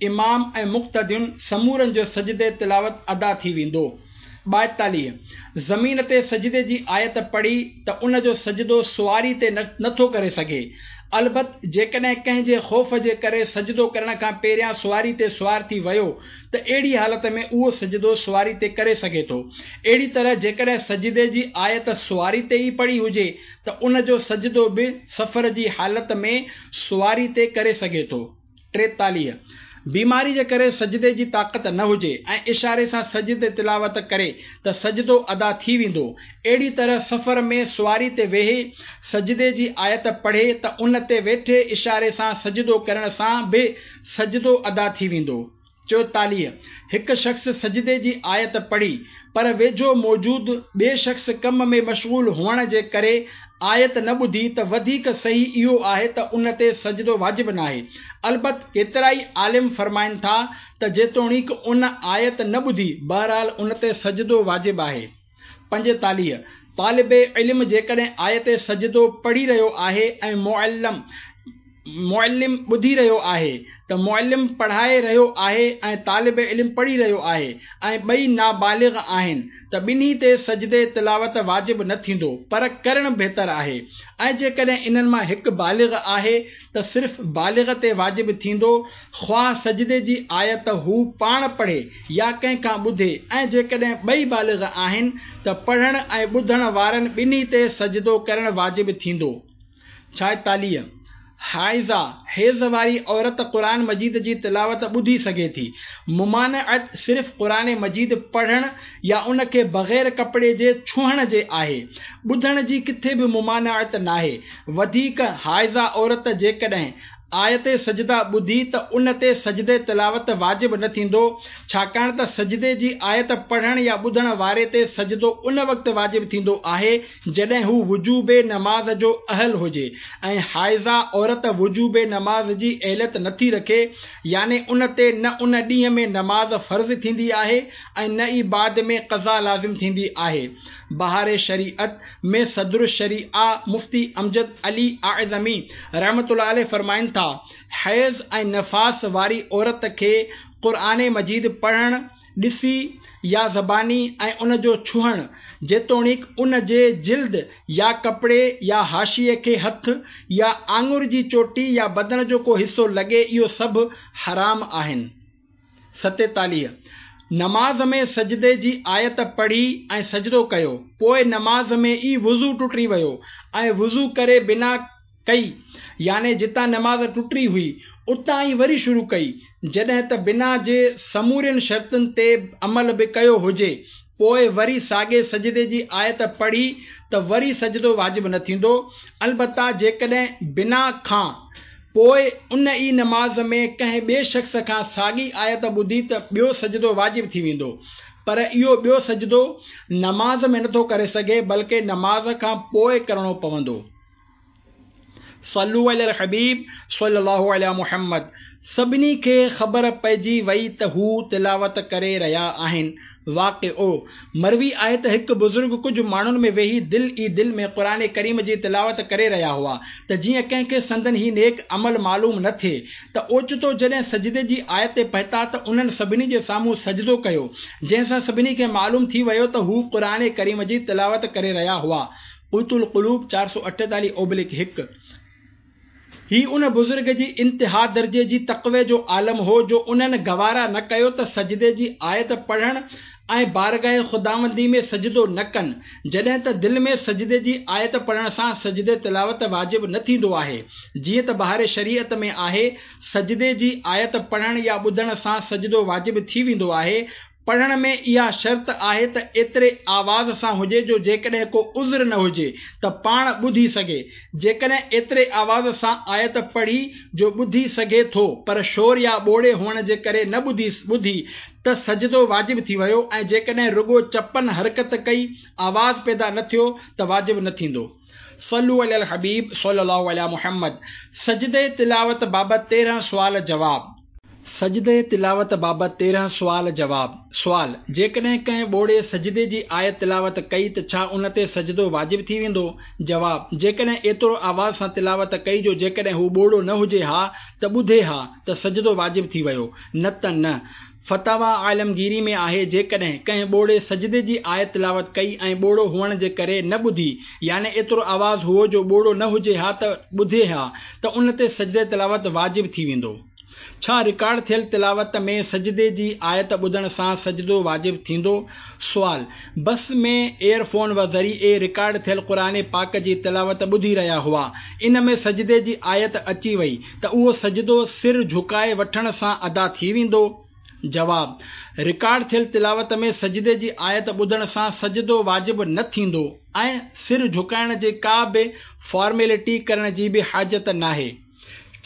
امام ۽ مقتدين سمورن جو سجدي تلاوت ادا ٿي ويندو. ٻائيتاليهه زمين تي سجدي جي آيت پڙهي ته ان جو سجدو سواري تي نٿو ڪري سگهي، البت جيڪڏهن ڪنهن جي خوف جي ڪري سجدو ڪرڻ کان پهريان سواري تي سوار ٿي ويو ته اهڙي حالت ۾ اهو سجدو سواري تي ڪري سگهي ٿو. اهڙي طرح جيڪڏهن سجدي جي آيت سواري تي ئي پڙهي هجي ته ان جو سجدو به سفر جي حالت ۾ سواري تي ڪري سگهي ٿو. ٽيتاليهه بيماري جي ڪري سجدي جي طاقت نه هجي ۽ اشاري سان سجدي تلاوت ڪري ته سجدو ادا ٿي ويندو. اهڙي طرح سفر ۾ سواري تي ويهي سجدي جي آيت پڙهي ته ان تي ويٺي اشاري سان سجدو ڪرڻ سان به سجدو ادا ٿي ويندو. چوئيتاليهه هڪ شخص سجدي جي آيت پڙهي پر ويجهو موجود ٻئي شخص ڪم ۾ مشغول هئڻ جي ڪري آيت نه ٻڌي ته وڌيڪ صحيح اهو آهي ته ان تي سجدو واجب ناهي. البت ڪيترائي عالم فرمائن ٿا ته جيتوڻيڪ ان آيت نه ٻڌي بهرحال ان تي سجدو واجب آهي. پنجيتاليهه طالب علم جيڪڏهن آيت سجدو پڙهي رهيو آهي ۽ معلم معلم ٻڌي رهيو آهي ته معلم پڙهائي رهيو آهي ۽ طالب علم پڙهي رهيو آهي ۽ ٻئي نابالغ آهن ته ٻنهي تي سجدي تلاوت واجب نه ٿيندو پر ڪرڻ بهتر آهي ۽ جيڪڏهن انهن مان هڪ بالغ آهي ته صرف بالغ تي واجب ٿيندو خواه سجدي جي آيت هو پاڻ پڙهي يا ڪنهن کان ٻڌي ۽ جيڪڏهن ٻئي بالغ آهن ته پڙهڻ ۽ ٻڌڻ وارن ٻنهي تي سجدو ڪرڻ واجب ٿيندو. ڇائيتاليهه حائضه حيض واري عورت قرآن مجيد جي تلاوت ٻڌي سگهي ٿي. ممانعت صرف قرآن مجيد پڙهڻ يا ان کي بغير ڪپڙي جي ڇهڻ جي آهي، ٻڌڻ جي ڪٿي به ممانعت ناهي. وڌيڪ حائضه عورت جيڪڏهن آيت سجده ٻڌي ته ان تي سجدي تلاوت واجب نه ٿيندو، ڇاڪاڻ ته سجدي جي آيت پڙهڻ يا ٻڌڻ واري تي سجدو ان وقت واجب ٿيندو آهي جڏهن هو وجوب نماز جو اهل هجي ۽ حائضه عورت وجوب نماز جي اهليت نٿي رکي، يعني ان تي نه ان ڏينهن ۾ نماز فرض ٿيندي آهي ۽ نه ئي بعد ۾ قضا لازم ٿيندي آهي. بهار شريعت ۾ صدر الشريعه مفتي امجد علي اعظمي رحمة الله عليه فرمائن ٿا، حيض ۽ نفاس واري عورت کي قرآن مجيد پڙهڻ، ڏسي يا زباني ۽ ان جو ڇهڻ، جيتوڻيڪ ان جي جلد يا ڪپڙي يا حاشيي کي هٿ يا آڱر جي چوٽي يا بدن جو ڪو حصو لڳي اهو سڀ حرام آهن. ستيتاليهه نماز ۾ سجدي جي آيت پڙهي ۽ سجدو ڪيو، پوء نماز ۾ ئي وضو ٽٽي ويو ۽ وضو ڪري بنا ڪئي، يعني جتان نماز ٽٽي هئي اتان ئي وري شروع ڪئي، جڏهن ته بنا جي سمورين شرطن تي عمل به ڪيو هجي، پوء وري ساڳي سجدي جي آيت پڙهي ته وري سجدو واجب نه ٿيندو. البته جيڪڏهن بنا کان پوء ان ئي نماز ۾ ڪنهن ٻئي شخص کان ساڳي آيت ٻڌي ته ٻيو سجدو واجب ٿي ويندو، پر اهو ٻيو سجدو نماز ۾ نٿو ڪري سگهي بلڪه نماز کان پوء ڪرڻو پوندو. صلو علی الحبيب صلي الله علي محمد. سڀني کي خبر پئجي وئي ته هو تلاوت ڪري رهيا آهن. واقعو مروي آهي ته هڪ بزرگ ڪجهه ماڻهن ۾ ويهي دل ئي دل ۾ قرآن ڪريم جي تلاوت ڪري رهيا هئا ته جيئن ڪنهن کي سندن هي نيڪ عمل معلوم نه ٿئي ته اوچتو جڏهن سجدي جي آيت تي پهتا ته انهن سڀني جي سامهون سجدو ڪيو، جنهن سان سڀني کي معلوم ٿي ويو ته هو قرآن ڪريم جي تلاوت ڪري رهيا هئا. قوت القلوب چار سؤ اٺيتاليهه اوبلڪ هڪ. هي ان بزرگ جي انتها درجي جي تقوي جو عالم هو جو انهن گوارا نه ڪيو ته سجدي جي آيت پڙهڻ ۽ بارگاهه خداوندي ۾ سجدو نه ڪن، جڏهن ته دل ۾ سجدي جي آيت پڙهڻ سان سجدي تلاوت واجب نه ٿيندو آهي، جيئن ته بهار شريعت ۾ آهي، سجدي جي آيت پڙهڻ يا ٻڌڻ سان سجدو واجب ٿي ويندو آهي. پڙهڻ ۾ اها شرط آهي ته ايتري آواز سان هجي جو جيڪڏهن ڪو عذر نه هجي ته پاڻ ٻڌي سگهي. جيڪڏهن ايتري آواز سان آيت پڙهي جو ٻڌي سگهي ٿو پر شور يا ٻوڙي هئڻ جي ڪري نه ٻڌي ٻڌي ته سجدو واجب ٿي ويو ۽ جيڪڏهن رڳو چپن حرڪت ڪئي آواز پيدا نه ٿيو ته واجب نه ٿيندو. صلو علی الحبيب صلي الله علي محمد. سجدي تلاوت بابت تيرهن سوال جواب. سجدي تلاوت بابت تيرهن سوال جواب. سوال: جيڪڏهن ڪنهن ٻوڙي سجدي جي آيت تلاوت ڪئي ته ڇا ان تي سجدو واجب ٿي ويندو؟ جواب: جيڪڏهن ايترو آواز سان تلاوت ڪئي جو جيڪڏهن هو ٻوڙو نه هجي ها ته ٻڌي ها ته سجدو واجب ٿي ويو، نه ته نه. فتاويٰ عالمگيري ۾ آهي جيڪڏهن ڪنهن ٻوڙي سجدي جي آيت تلاوت ڪئي ۽ ٻوڙو هئڻ جي ڪري نه ٻڌي، يعني ايترو آواز هئو جو ٻوڙو نه هجي ها ته ٻڌي ها ته ان تي سجدي تلاوت واجب ٿي ويندو. ڇا رڪارڊ ٿيل تلاوت ۾ سجدي جي آيت ٻڌڻ سان سجدو واجب ٿيندو؟ سوال: بس ۾ ايئرفون ذريعي رڪارڊ ٿيل قرآن پاڪ جي تلاوت ٻڌي رهيا هئا، ان ۾ سجدي جي آيت اچي وئي ته اهو سجدو سر جهڪائي وٺڻ سان ادا ٿي ويندو؟ جواب: رڪارڊ ٿيل تلاوت ۾ سجدي جي آيت ٻڌڻ سان سجدو واجب نه ٿيندو ۽ سر جهڪائڻ جي ڪا به فارميلٽي ڪرڻ جي به حاجت ناهي.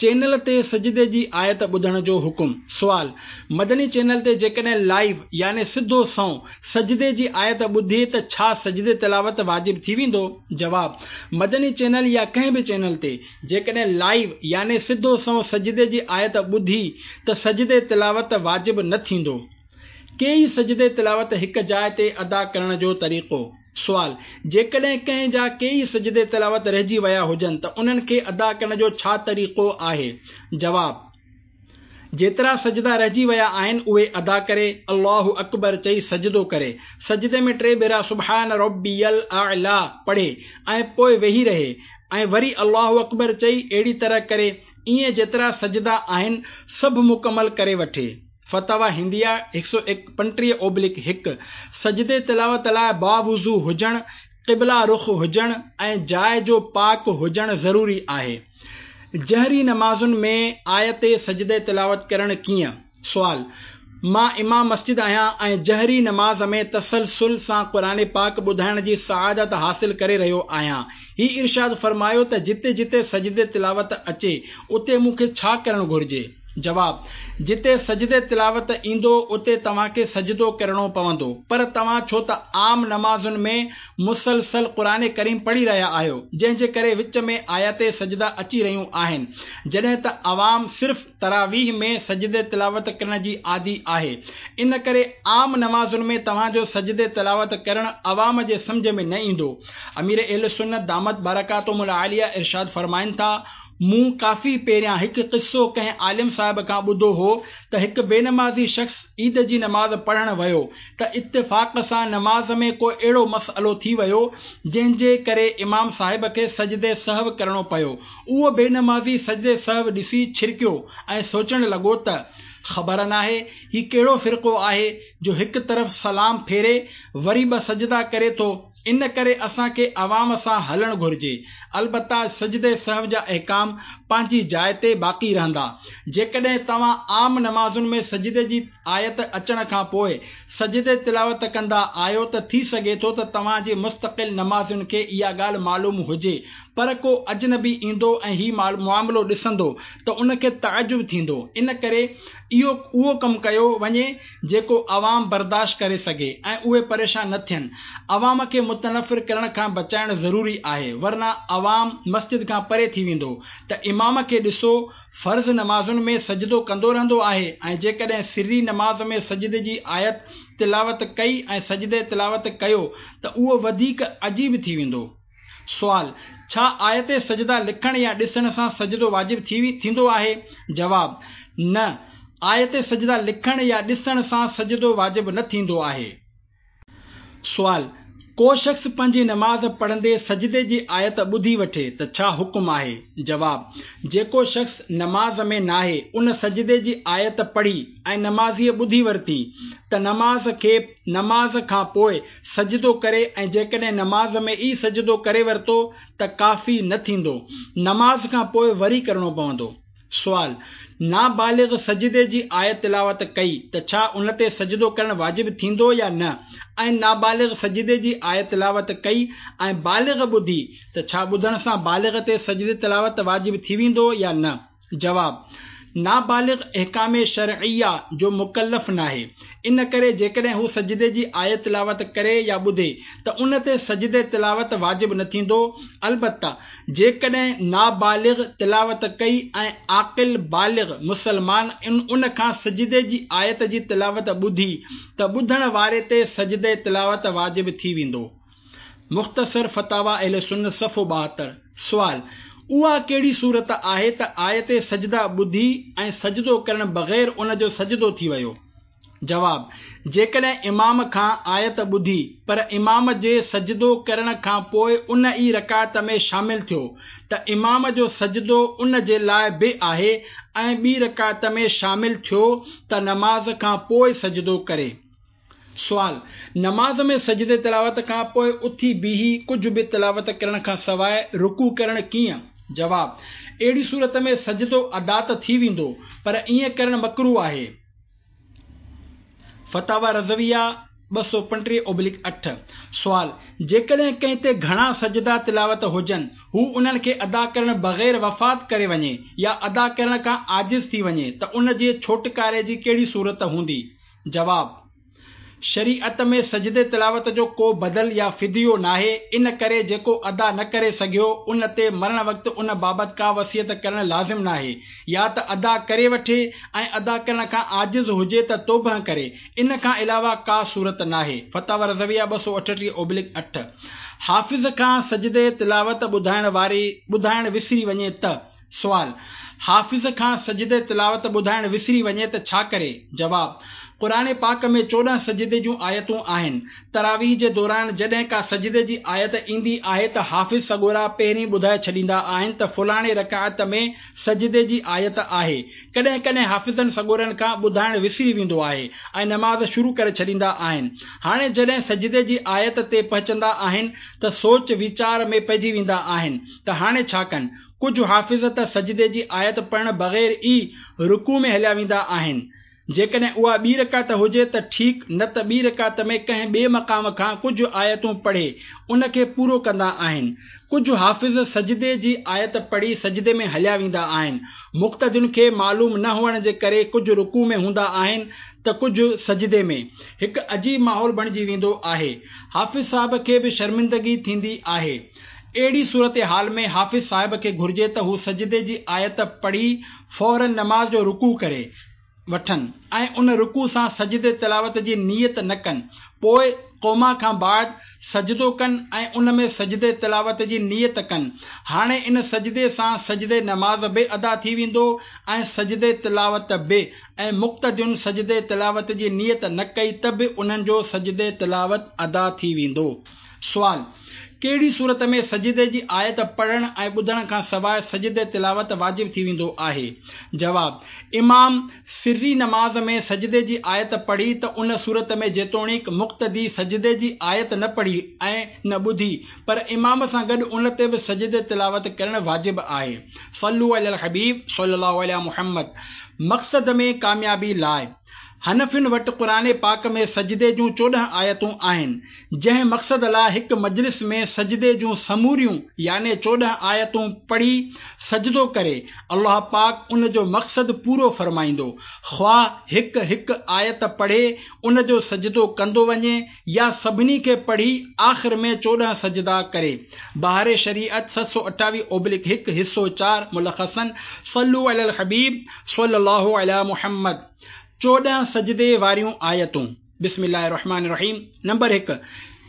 چينل تي سجدي جي آيت ٻڌڻ جو حڪم. سوال: مدني چينل تي جيڪڏهن لائيو يعني سڌو سنئون سجدي جي آيت ٻڌي ته ڇا سجدي تلاوت واجب ٿي ويندو؟ جواب: مدني چينل يا ڪنهن به چينل تي جيڪڏهن لائيو يعني سڌو سنئون سجدي جي آيت ٻڌي ته سجدي تلاوت واجب نه ٿيندو. ڪيئي سجدي تلاوت هڪ جاء تي ادا ڪرڻ جو طريقو. سوال: جيڪڏهن ڪنهن جا ڪيئي سجدي تلاوت رهجي ويا هجن ته انهن کي ادا ڪرڻ جو ڇا طريقو آهي؟ جواب: جيترا سجدا رهجي ويا آهن اهي ادا ڪري، الله اڪبر چئي سجدو ڪري، سجدي ۾ ٽي ڀيرا سبحان ربي الاعليٰ پڙهي ۽ پوء ويهي رهي ۽ وري الله اڪبر چئي اهڙي طرح ڪري، ائين جيترا سجدا آهن سڀ مڪمل ڪري وٺي. فتاويٰ هنديه هڪ سؤ پنجٽيهه اوبلڪ هڪ. سجدي تلاوت لاء باوضو هجڻ، قبله رخ هجڻ ۽ جاء جو پاڪ هجڻ ضروري آهي. جهري نمازن ۾ آيت سجدي تلاوت ڪرڻ ڪيئن؟ سوال: مان امام مسجد آهيان ۽ جهري نماز ۾ تسلسل سان قرآن پاڪ ٻڌائڻ جي سعادت حاصل ڪري رهيو آهيان. هي ارشاد فرمايو ته جتي جتي سجدي تلاوت اچي اتي مون کي ڇا ڪرڻ گهرجي؟ جواب: جتي سجدي تلاوت ايندو اتي توهان کي سجدو ڪرڻو پوندو، پر توهان ڇو ته عام نمازن ۾ مسلسل قرآن ڪريم پڙهي رهيا آهيو، جنهن جي ڪري وچ ۾ آيت سجده اچي رهيون آهن، جڏهن ته عوام صرف تراويح ۾ سجدي تلاوت ڪرڻ جي عادي آهي، ان ڪري عام نمازن ۾ توهان جو سجدي تلاوت ڪرڻ عوام جي سمجهه ۾ نه ايندو. امير اهل سنت دامت برڪاتهم العاليه ارشاد فرمائن ٿا، مون ڪافي پهريان هڪ قصو ڪنهن عالم صاحب کان ٻڌو هو ته هڪ بي نمازي شخص عيد جي نماز پڙهڻ ويو ته اتفاق سان نماز ۾ ڪو اهڙو مسئلو ٿي ويو جنهن جي ڪري امام صاحب کي سجدي سهو ڪرڻو پيو. اهو بي نمازي سجدي سهو ڏسي ڇرڪيو ۽ سوچڻ لڳو ته خبر ناهي هي ڪهڙو فرقو آهي جو هڪ طرف سلام ڦيري وري ٻه سجدا ڪري ٿو، ان ڪري اسان کي عوام سان هلڻ گهرجي. البته سجدي سهو جا احڪام پنهنجي جاء تي باقي رهندا. جيڪڏهن توهان عام نمازن ۾ سجدي جي آيت اچڻ کان پوء سجدي تلاوت ڪندا آهيو ته ٿي سگهي ٿو ته توهان جي مستقل نمازين کي اها ڳالهه معلوم هجي، پر ڪو اجنبي ايندو ۽ هي معاملو ڏسندو ته ان کي تعجب ٿيندو. ان ڪري اهو اهو ڪم ڪيو وڃي جيڪو عوام برداشت ڪري سگهي ۽ اهي پريشان نه ٿين. عوام کي متنفر ڪرڻ کان بچائڻ ضروري آهي، ورنه عوام مسجد کان پري ٿي ويندو ته امام کي ڏسو فرض نمازن ۾ سجدو ڪندو رهندو آهي ۽ جيڪڏهن سري نماز ۾ سجدي جي آيت تلاوت ڪئي ۽ سجدي تلاوت ڪيو ته اهو وڌيڪ عجيب ٿي ويندو. سوال: ڇا آيت سجده لکڻ يا ڏسڻ سان سجدو واجب ٿيندو آهي؟ جواب: نه، آيت سجده لکڻ يا ڏسڻ سان سجدو واجب نه ٿيندو آهي. سوال: ڪو شخص پنهنجي نماز پڙهندي سجدي جي آيت ٻڌي وٺي ته ڇا حڪم آهي؟ جواب: جيڪو شخص نماز ۾ ناهي ان سجدي جي آيت پڙهي ۽ نمازيء ٻڌي ورتي ته نماز کي نماز کان پوء سجدو ڪري ۽ جيڪڏهن نماز ۾ ئي سجدو ڪري ورتو ته ڪافي نه ٿيندو، نماز کان پوء وري ڪرڻو پوندو. سوال: نابالغ سجدي جي آيت تلاوت ڪئي ته ڇا ان تي سجدو ڪرڻ واجب ٿيندو يا نه؟ ۽ نابالغ سجدي جي آيت تلاوت ڪئي ۽ بالغ ٻڌي ته ڇا ٻڌڻ سان بالغ تي سجدي تلاوت واجب ٿي ويندو يا نه؟ جواب: نابالغ احڪام شرعيه جو مڪلف ناهي، ان ڪري جيڪڏهن هو سجدي جي آيت تلاوت ڪري يا ٻڌي ته ان تي سجدي تلاوت واجب نه ٿيندو. البته جيڪڏهن نابالغ تلاوت ڪئي ۽ عاقل بالغ مسلمان ان کان سجدي جي آيت جي تلاوت ٻڌي ته ٻڌڻ واري تي سجدي تلاوت واجب ٿي ويندو. مختصر فتاويٰ اهل سنت صفحو ٻاهتر. سوال: اها ڪهڙي صورت آهي ته آيت سجده ٻڌي ۽ سجدو ڪرڻ بغير ان جو سجدو ٿي ويو؟ جواب: جيڪڏهن امام کان آيت ٻڌي پر امام جي سجدو ڪرڻ کان پوء ان ئي رڪعت ۾ شامل ٿيو ته امام جو سجدو ان جي لاء به آهي ۽ ٻي رڪعت ۾ شامل ٿيو ته نماز کان پوء سجدو ڪري. سوال: نماز ۾ سجدي تلاوت کان پوء اٿي بيهي ڪجهه به تلاوت ڪرڻ کان سواء رڪوع ڪرڻ ڪيئن؟ جواب: اهڙي صورت ۾ سجدو ادا ته ٿي ويندو پر ائين ڪرڻ مڪروه آهي. فتاويٰ رضويه ٻه سؤ پنجٽيهه اوبلڪ اٺ. سوال: جيڪڏهن ڪنهن تي گهڻا سجدا تلاوت هجن، هو انهن کي ادا ڪرڻ بغير وفات ڪري وڃي يا ادا ڪرڻ کان عاجز ٿي وڃي ته ان جي ڇوٽڪاري جي ڪهڙي صورت هوندي؟ جواب: شريعت ۾ سجدي تلاوت جو ڪو بدل يا فديو ناهي، ان ڪري جيڪو ادا نه ڪري سگهيو ان تي مرڻ وقت ان بابت ڪا وصيت ڪرڻ لازم ناهي، يا ته ادا ڪري وٺي ۽ ادا ڪرڻ کان عاجز هجي ته توبه ڪري، ان کان علاوه ڪا صورت ناهي. فتاويٰ رضويه ٻه سؤ اٺٽيهه اوبلڪ اٺ. حافظ کان سجدي تلاوت ٻڌائڻ واري ٻڌائڻ وسري وڃي ته؟ سوال: حافظ کان سجدي تلاوت ٻڌائڻ وسري وڃي ته ڇا ڪري؟ جواب: قرآن پاڪ ۾ چوڏهن سجدي جون آيتون آهن. تراويح جي دوران جڏهن ڪا سجدي جي آيت ايندي آهي ته حافظ سڳورا پهرين ٻڌائي ڇڏيندا آهن ته فلاڻي رڪعت ۾ سجدي جي آيت آهي. ڪڏهن ڪڏهن حافظن سڳورن کان ٻڌائڻ وسري ويندو آهي ۽ نماز شروع ڪري ڇڏيندا آهن. هاڻي جڏهن سجدي جي آيت تي پهچندا آهن ته سوچ ويچار ۾ پئجي ويندا آهن ته هاڻي ڇا ڪن؟ ڪجهه حافظ ته سجدي جي آيت پڙهڻ بغير ئي رڪوع ۾ هليا ويندا آهن. جيڪڏهن اها ٻي رڪعت هجي ته ٺيڪ، نه ته ٻي رڪعت ۾ ڪنهن ٻئي مقام کان ڪجهه آيتون پڙهي ان کي پورو ڪندا آهن. ڪجهه حافظ سجدي جي آيت پڙهي سجدي ۾ هليا ويندا آهن. مقتدين کي معلوم نه هئڻ جي ڪري ڪجهه رڪوع ۾ هوندا آهن ته ڪجهه سجدي ۾. هڪ عجيب ماحول بڻجي ويندو آهي. حافظ صاحب کي به شرمندگي ٿيندي آهي. اهڙي صورتحال ۾ حافظ صاحب کي گهرجي ته هو سجدي جي آيت پڙهي فوراً نماز جو رڪوع ڪري وٺن ۽ ان رڪوع سان سجدي تلاوت جي نيت نه ڪن، پوء قوما کان بعد سجدو ڪن ۽ ان ۾ سجدي تلاوت جي نيت ڪن. هاڻي ان سجدي سان سجدي نماز به ادا ٿي ويندو ۽ سجدي تلاوت به، ۽ مقتدين سجدي تلاوت جي نيت نه ڪئي ته به انهن جو سجدي تلاوت ادا ٿي ويندو. سوال: ڪهڙي صورت ۾ سجدي جي آيت پڙهڻ ۽ ٻڌڻ کان سواء سجدي تلاوت واجب ٿي ويندو آهي؟ جواب: امام سري نماز ۾ سجدي جي آيت پڙهي ته ان صورت ۾ جيتوڻيڪ مقتدي سجدي جي آيت نه پڙهي ۽ نه ٻڌي پر امام سان گڏ ان تي به سجدي تلاوت ڪرڻ واجب آهي. صلو علی الحبيب صلي الله عليه محمد. مقصد ۾ ڪاميابي لاء حنفين وٽ قرآن پاڪ ۾ سجدي جون چوڏهن آيتون آهن، جنهن مقصد لاء هڪ مجلس ۾ سجدي جون سموريون يعني چوڏهن آيتون پڙهي سجدو ڪري، الله پاڪ ان جو مقصد پورو فرمائيندو، خواه هڪ هڪ آيت پڙهي ان جو سجدو ڪندو وڃي يا سڀني کي پڙهي آخر ۾ چوڏهن سجدا ڪري. بهار شريعت ست سؤ اٺاويهه اوبلڪ هڪ حصو چار ملخصاً صلو علی الحبيب صلي الله علي محمد. چوڏهن سجدي واريون آيتون. بسم الله الرحمن الرحيم نمبر هڪ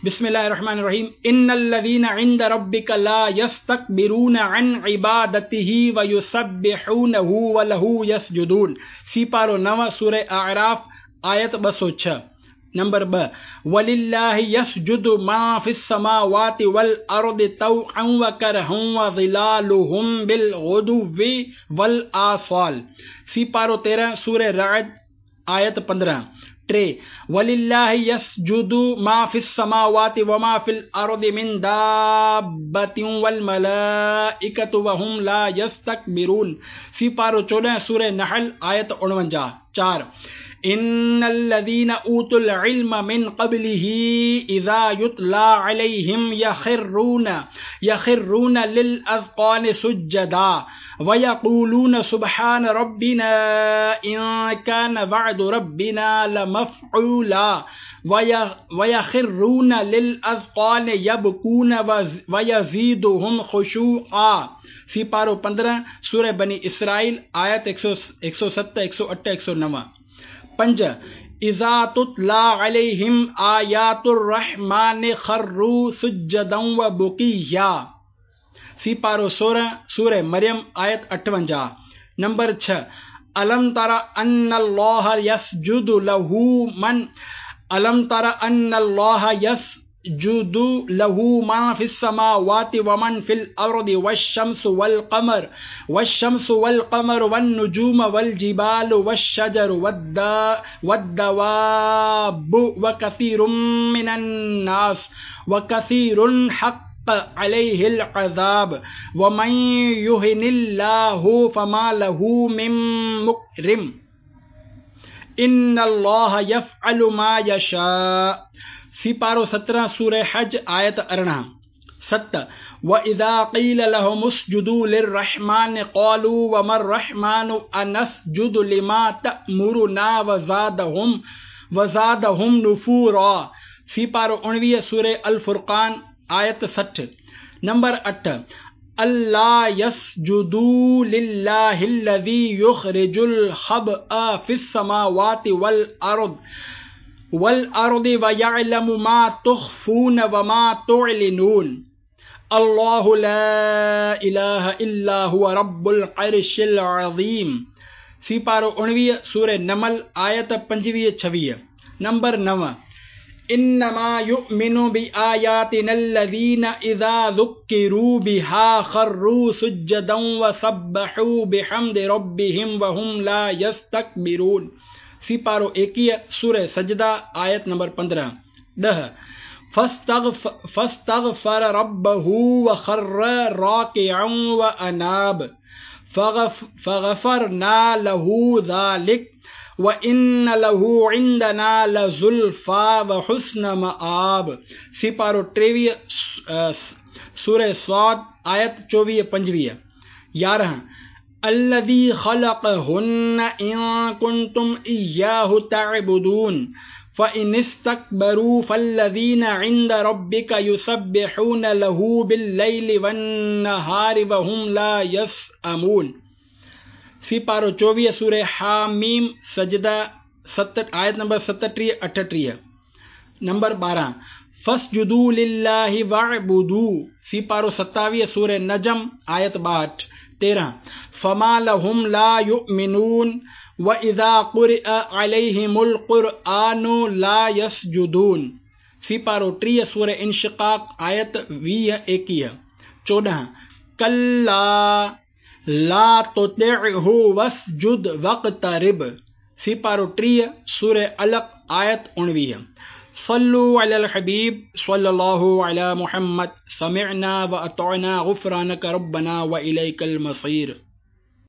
بسم الله الرحمن الرحيم ان الذين عند ربك لا يستكبرون عن عبادته ويسبحونه وله يسجدون سيپارو نو سوره اعراف آيت ٻه سؤ ڇهه. نمبر ٻه ولله يسجد ما في السماوات والارض طوعا وڪرها وظلالهم بالغدو والآصال سيپارو تيرهن سوره رعد آيت پندرهن. ٽي ولله يسجد ما في السماوات وما في الارض من دابة والملائكة وهم لا يستكبرون سيپارو چوڏهن سوره نحل آيت اڻونجاهه. چار إن الذين أوتوا العلم من قبله إذا يتلى عليهم يخرون يخرون للأذقان سجدا ويقولون سبحان ربنا إن كان وعد ربنا لمفعولا ويخرون للأذقان يبكون ويزيدهم خشوعا. सिपारो पंद्रहं सूरह बनी इसराइल आयत एक सौ सत, एक सौ अठ, एक सौ नौ. पंज इज़ा तुतला अलैहिम आयातुर रहमान खर्रू सुज्जदन व बुकिया. सिपारो सोरहं सूरह मरियम आयत अठवंजाह. नंबर छह अलम तरा अन्नल्लाह यसजुदु लहू मन अलम तरा अन्नल्लाह यसजुदु लहू मा फिस समावाति व मन फिल अर्दि वश्शम्सु वल कमर वश्शम्सु वल कमर वन नुजूम वल जिबालु वश्शजरु वद्दवाबु व कसीरुम मिनन नास व कसीरुन हक़्क़ अलैहिल अज़ाब व मन युहिनिल्लाहु फमा लहू मिन मुकरिम इन्नल्लाह यफ़अलु मा यशा. सिपारो सत्रहं सूरह हज आयत अरिड़हं. सत व इज़ा क़ील लहुम उस्जुदू लिर्रहमान क़ालू वमर रहमानु अनस्जुदु लिमा तअमुरुना वज़ादहुम वज़ादहुम नुफूरा. सिपारो उणिवीह सूरह अल फुरक़ान आयत सठि. नंबर अठ अल्ला यसजुदू लिल्लाहिल्लज़ी युखरिजुल खबअ फिस समावाति वल अर्द वल अर्दि व यअलमु मा तुख़फ़ून व मा तुअलिनून. अल्लाहु ला इलाहा इल्ला हुव रब्बुल अर्शिल अज़ीम. सिपारो उणिवीह सूरह नमल आयत पंजवीह छवीह. नंबर नव इन्नमा युमिनु बिआयातिनल्लज़ीना इज़ा ज़ुक्किरू बिहा खर्रू सुज्जदन व सब्बहू बिहम्दि रब्बिहिम व हुम ला यस्तकबिरून. सिपारो एकवीह सूरह सजदा आयत नंबर पंद्रहं. ॾह फस्तगफर रब्बहू व खर्र राकिअन व अनाब फगफरना लहू ज़ालिक व इन्न लहू इंदना लज़ुल्फा व हुस्न मआब. सिपारो टेवीह सूरह स्वाद आयत चोवीह पंजवीह. यारहं अल्लज़ी खलक़हुन्न इन कुंतुम इय्याहु तअबुदून फ़इन इस्तकबरू फ़ल्लज़ीना इंद रब्बिक युसब्बिहून लहू बिल्लैलि वन्नहारि वहुम ला यसअमून. सिपारो चोवीह सूरह हामीम सजदा सत आयत नंबर सतटीह अठटीह. नंबर ॿारहं फसजुदू लिल्लाहि वअबुदू. सिपारो सतावीह सूरह नजम आयत ॿाहठि. तेरहं फमा लहुम ला युमिनून व इज़ा क़ुरिअ अलैहिमुल क़ुरआनु ला यसजुदून. सिपारो टीह सूरह इंशिक़ाक़ आयत वीह एकवीह. चोॾहं कल्ला ला तुतिअहु वस्जुद वक़्तरिब. सिपारो टीह सूरह अलक़ आयत उणिवीह. सल्लु अलल हबीब सल्लल्लाहु अला मुहम्मद. समिअना व अतअना गुफ़रानक रब्बना व इलैकल मसीर.